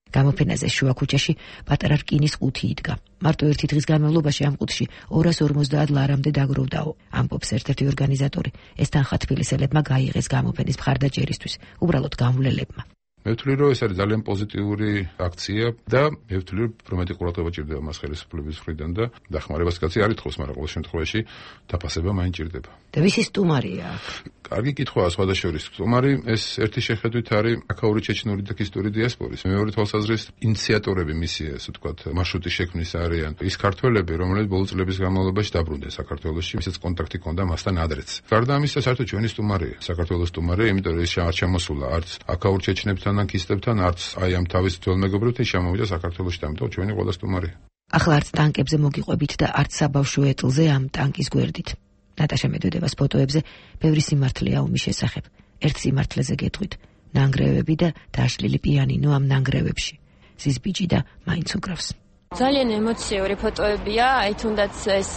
გამოფენაზე შუა ქუჩაში პატარა რკინის ყუთი იდგა. მარტო ერთი დღის განმავლობაში ამ ყუთში ორას ორმოცდაათ ლარამდე დაგროვდაო. ამბობს ერთ-ერთი ორგანიზატორი. ეს თანხა თბილისელებმა გაიღეს გამოფენის მხარდაჭერისთვის, უბრალოდ გამვლელებმა. მე ვთვლი, რომ ეს არის ძალიან პოზიტიური აქცია და მე ვთვლი, რომ პრომეტი ყურადღება ჭირდება მას ხელისუფლების მხრიდან და დახმარებას კაცი არ ითხოვს, მაგრამ ყოველ შემთხვევაში დაფასება მაინც ჭირდება. და ვისი სტუმარია? კარგი კითხვაა სხვადასხვა. სტუმარი ეს ერთი შეხედვით არის აქაური ჩეჩნური და ქისტური დიასპორის. მეორე თვალსაზრისით ინიციატორები მისი, ასე ვთქვათ, მარშრუტის შექმნის არიან ის ქართველები, რომლებიც ბოლო წლების განმავლობაში დაბრუნდნენ საქართველოში, ვისაც კონტაქტი ჰქონდა მასთან ადრეც. გარდა ამისა, საერთოდ ჩვენი სტუმარია, საქართველოს სტუმარია, იმიტომ რომ ის არ ჩამოსულა არც აქაურ ჩეჩნებთან ან ქისტებთან, არც აი ამ თავის ძველ მეგობრებთან შემოვიდა საქართველოში, ამიტომ ჩვენი ყველა სტუმარია. ახლა არც ტანკებზე მოგიყვებით და არც საბავშვო ეტლზე ამ ტანკის გვერდით. ნატაშა მედვედევას ფოტოებზე ბევრი სიმართლეა ომის შესახებ. ერთ სიმართლეზე გეტყვით, ნანგრევები და დაშლილი პიანინო ამ ნანგრევებში. ზის ბიჭი და მაინც უკრავს. ძალიან ემოციური ფოტოებია, აი თუნდაც ეს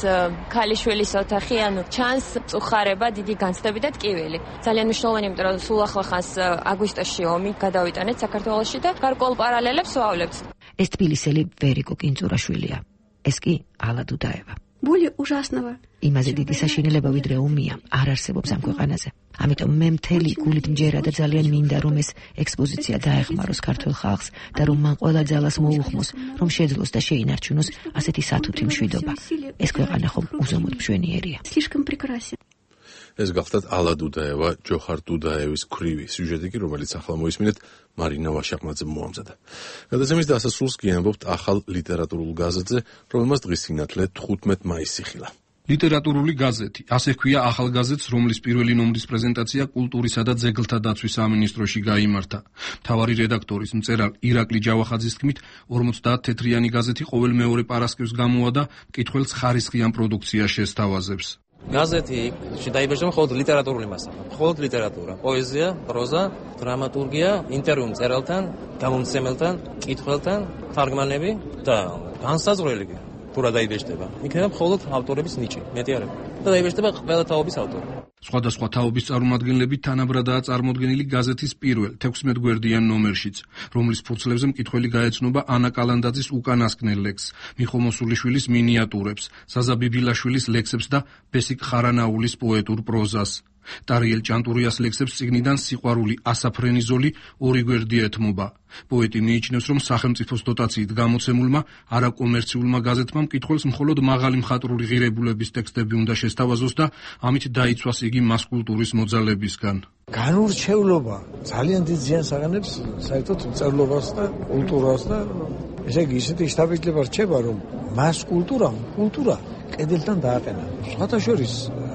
ქალიშვილის ოთახი, ანუ ჩანს წუხარება, დიდი განცდები და ტკივილი. ძალიან მნიშვნელოვანი, იმიტომ რომ სულ ახლა ხანს აგვისტოში ომი გადავიტანეთ საქართველოში და გარკვეულ პარალელებს ვავლებთ. ეს თბილისელი ვერიკო კინწურაშვილია. ეს კი ალა დუდაევა. Более ужасного. იმაზე დიდი საშინელება ვიდრე ომია არ არსებობს ამ ქვეყანაზე. ამიტომ მე მთელი გულით მჯერა და ძალიან მინდა რომ ეს ექსპოზიცია დაეხმაროს ქართულ ხალხს და რომ მან ყველა ძალას მოუხმოს, რომ შეძლოს და შეინარჩუნოს ასეთი სათუთი მშვიდობა. ეს ქვეყანა ხომ უზომოდ მშვენიერია. Слишком прекрасен. ეს გახლდათ ალა დუდაევა, ჯოხარ დუდაევის ქვრივი სიუჟეტი კი, რომელიც ახლა მოისმინეთ მარინა ვაშაყმაძემ მოამზადა. გადაცემის დასასრულს კი ამბობთ ახალ ლიტერატურულ გაზეთზე, რომელმაც დღის სინათლე თხუთმეტ მაისს იხილა. ლიტერატურული გაზეთი, ასე ჰქვია ახალ გაზეთს, რომლის პირველი ნომრის პრეზენტაცია კულტურისა და ძეგლთა დაცვის სამინისტროში გაიმართა. მთავარი რედაქტორის მწერალ ირაკლი ჯავახაძის თქმით, ორმოცდაათ თეთრიანი გაზეთი ყოველ მეორე პარასკევს გამოვა და მკითხველს ხარისხიან პროდუქციას შესთავაზებს. გაზეთი დაიბეჭდება მხოლოდ ლიტერატურული მასალა, მხოლოდ ლიტერატურა, პოეზია, პროზა, დრამატურგია, ინტერვიუ მწერალთან, გამომცემელთან, მკითხველთან, თარგმანები და განსაზღვრელი კი თუ რა დაიბეჭდება. იქნება მხოლოდ ავტორების ნიჭი, მეტი არა. და დაიბეჭდება ყველა თაობის ავტორი. სხვადასხვა თაობის წარმომადგენლები თანაბრადაა წარმოდგენილი გაზეთის პირველ თექვსმეტგვერდიან ნომერშიც, რომლის ფურცლებზე მკითხველი გაეცნობა ანა კალანდაძის უკანასკნელ ლექსს, მიხო მოსულიშვილის მინიატურებს, ზაზა ბიბილაშვილის ლექსებს და ბესიკ ხარანაულის პოეტურ პროზას. ტარიელ ჭანტურიას ლექსებს წიგნიდან სიყვარული ასაფრენიზოლი ორი გვერდი ეთმობა. პოეტი მიიჩნევს, რომ სახელმწიფოს დოტაციით გამოცემულმა არაკომერციულმა გაზეთმა მკითხველს მხოლოდ მაღალი მხატვრული ღირებულების ტექსტები უნდა შესთავაზოს და ამით დაიცვას იგი მასკულტურის მოძალებისგან. განურჩევლობა ძალიან დიდ ზიანს აღანებს საერთოდ მწერლობას და კულტურას და ესე იგი ისეთი შთაბეჭდილება რჩება, რომ მასკულტურამ კულტურა კედელთან დააყენა. სხვათა შორის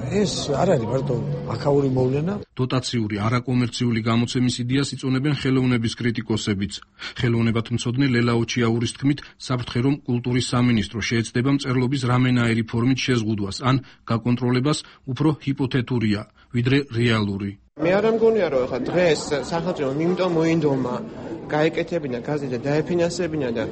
ეს არ არის მარტო აქაური მოვლენა. დოტაციური არაკომერციული გამოცემის იდეას იწონებენ ხელოვნების კრიტიკოსებიც. ხელოვნებათმცოდნე ლელა ოჩიაურის თქმით, საფრთხე რომ კულტურის სამინისტრო შეეცდება მწერლობის რამენაერი ფორმით შეზღუდვას ან გაკონტროლებას უფრო ჰიპოთეტურია, ვიდრე რეალური. მე არ მგონია რომ ხა დღეს სახელმწიფომ იმიტომ მოინდომა გაეკეთებინა გაზეთი და დაეფინანსებინა და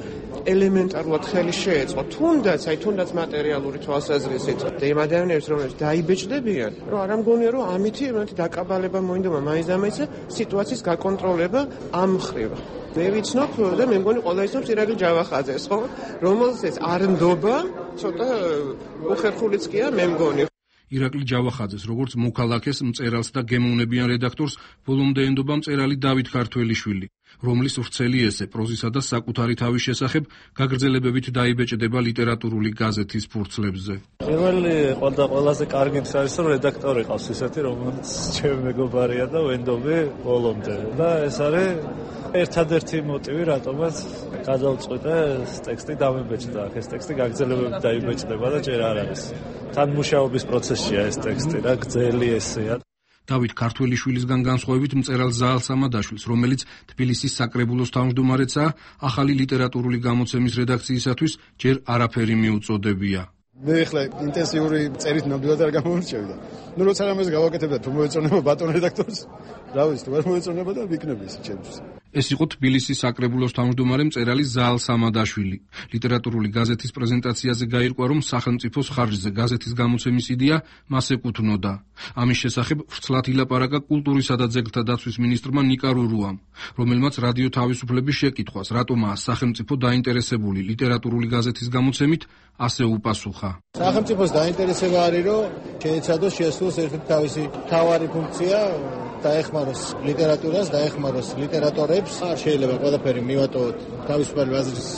ელემენტარულად ხელი შეეწყო თუნდაც აი თუნდაც მატერიალური თვალსაზრისით და იმ ადამიანებს რომლებიც დაიბეჭდებიან რომ არ მგონია რომ ამითი ერთ დაკაბალება მოინდომა მაინც და მაინც სიტუაციის გაკონტროლება ამ მხრივ მე ვიცნობ და მე მგონი ყველა ისნობს ირაკლი ჯავახაძეს ხო რომელსაც არ ნდობა ცოტა უხერხულიც კია მე მგონი ირაკლი ჯავახაძეს, როგორც მოქალაქეს, მწერალს და გემოვნებიან რედაქტორს, ბოლომდე ენდობა მწერალი დავით ქართველიშვილი, რომლის ვრცელი ესე პროზისა და საკუთარი თავის შესახებ გაგრძელებებით დაიბეჭდება ლიტერატურული გაზეთის ფურცლებზე. პირველი ყველა ყველაზე კარგი არის, რომ რედაქტორი ყავს ისეთი, რომელიც ჩემი მეგობარია და ვენდობი ბოლომდე. და ეს არის ერთადერთი მოტივი, რატომაც გადავწყვიტე ეს ტექსტი დამებეჭდა. ეს ტექსტი გაგრძელებებით დაიბეჭდება და ჯერ არ არის. თან მუშაობის პროცესია ეს ტექსტი რა გძელი ესეა. დავით ქართველიშვილისგან განსხვავებით მწერალ ზაალ სამადაშვილს, რომელიც თბილისის საკრებულოს თავმჯდომარეცაა, ახალი ლიტერატურული გამოცემის რედაქციისათვის ჯერ არაფერი მიუწოდებია. მე ახლა ინტენსიური წერით ნამდვილად არ გამომრჩევი და ნუ როცა რამეს გავაკეთებდა თუ მოეწონება ბატონ რედაქტორს რა ვიცი თუ არ მოეწონება და ვიქნები ისე ჩემთვის. ეს იყო თბილისის საკრებულოს თავმჯდომარე მწერალი ზაალ სამადაშვილი. ლიტერატურული გაზეთის პრეზენტაციაზე გაირკვა, რომ სახელმწიფოს ხარჯზე გაზეთის გამოცემის იდეა მას ეკუთვნოდა. ამის შესახებ ვრცლად ილაპარაკა კულტურისა და ძეგლთა დაცვის მინისტრმა ნიკა რურუამ, რომელმაც რადიო თავისუფლების შეკითხვას, რატომაა სახელმწიფო დაინტერესებული ლიტერატურული გაზეთის გამოცემით, ასე უპასუხა. სახელმწიფოს დაინტერესება არის, რომ შეეცადოს შეასრულოს ერთ-ერთი თავისი მთავარი ფუნქცია, დაეხმაროს ლიტერატურას, დაეხმაროს ლიტერატორებს. არ შეიძლება ყველაფერი მივატოვოთ თავისუფალი ბაზრის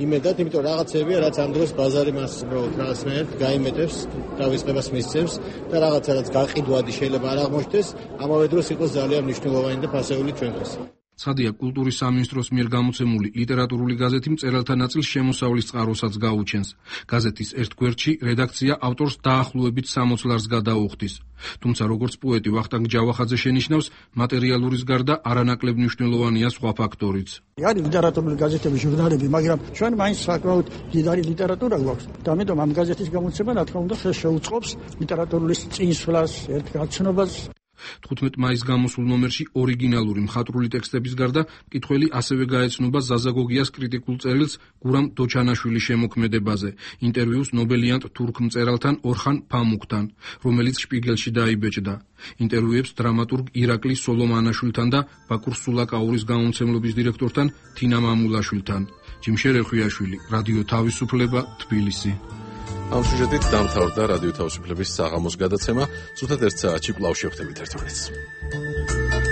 იმედად, იმიტომ რაღაცებია, რაც ამ დროს ბაზარი მას უბრალოდ რაღაცნაირად გაიმეტებს, თავისუფლებას მისცემს და რაღაცა რაც გაყიდვადი შეიძლება არ აღმოჩნდეს, ამავე დროს იყოს ძალიან მნიშვნელოვანი და ფასეული ჩვენთვის. ცხადია, კულტურის სამინისტროს მიერ გამოცემული ლიტერატურული გაზეთი მწერალთა ნაწილს შემოსავლის წყაროსაც გაუჩენს. გაზეთის ერთ გვერდში რედაქცია ავტორს დაახლოებით სამოც ლარს გადაუხდის. თუმცა როგორც პოეტი ვახტანგ ჯავახაძე შენიშნავს, მატერიალურის გარდა არანაკლებ მნიშვნელოვანია სხვა ფაქტორიც. არის ლიტერატურული გაზეთები, ჟურნალები, მაგრამ ჩვენ მაინც საკმაოდ დიდარი ლიტერატურა გვაქვს. და ამიტომ ამ გაზეთის გამოცემა, რა თქმა უნდა, შეუწყობს ლიტერატურული წინსვლას, ერთ გაცნობას. თხუთმეტ მაისს გამოსულ ნომერში ორიგინალური მხატვრული ტექსტების გარდა მკითხველი ასევე გაეცნობა ზაზა გოგიას კრიტიკულ წერილს გურამ დოჩანაშვილის შემოქმედებაზე, ინტერვიუს ნობელიანტ თურქ მწერალთან ორხან ფამუქთან, რომელიც შპიგელში დაიბეჭდა. ინტერვიუებს დრამატურგ ირაკლი სოლომანაშვილთან და ბაკურ სულაკაურის გამომცემლობის დირექტორთან თინა მამულაშვილთან. ჯიმშერ ერხვიაშვილი, რადიო თავისუფლება, თბილისი. ამ სიუჟეტით დამთავრდა რადიო თავისუფლების საღამოს გადაცემა. ზუსტად ერთ საათში კვლავ შევხვდებით ერთმანეთს.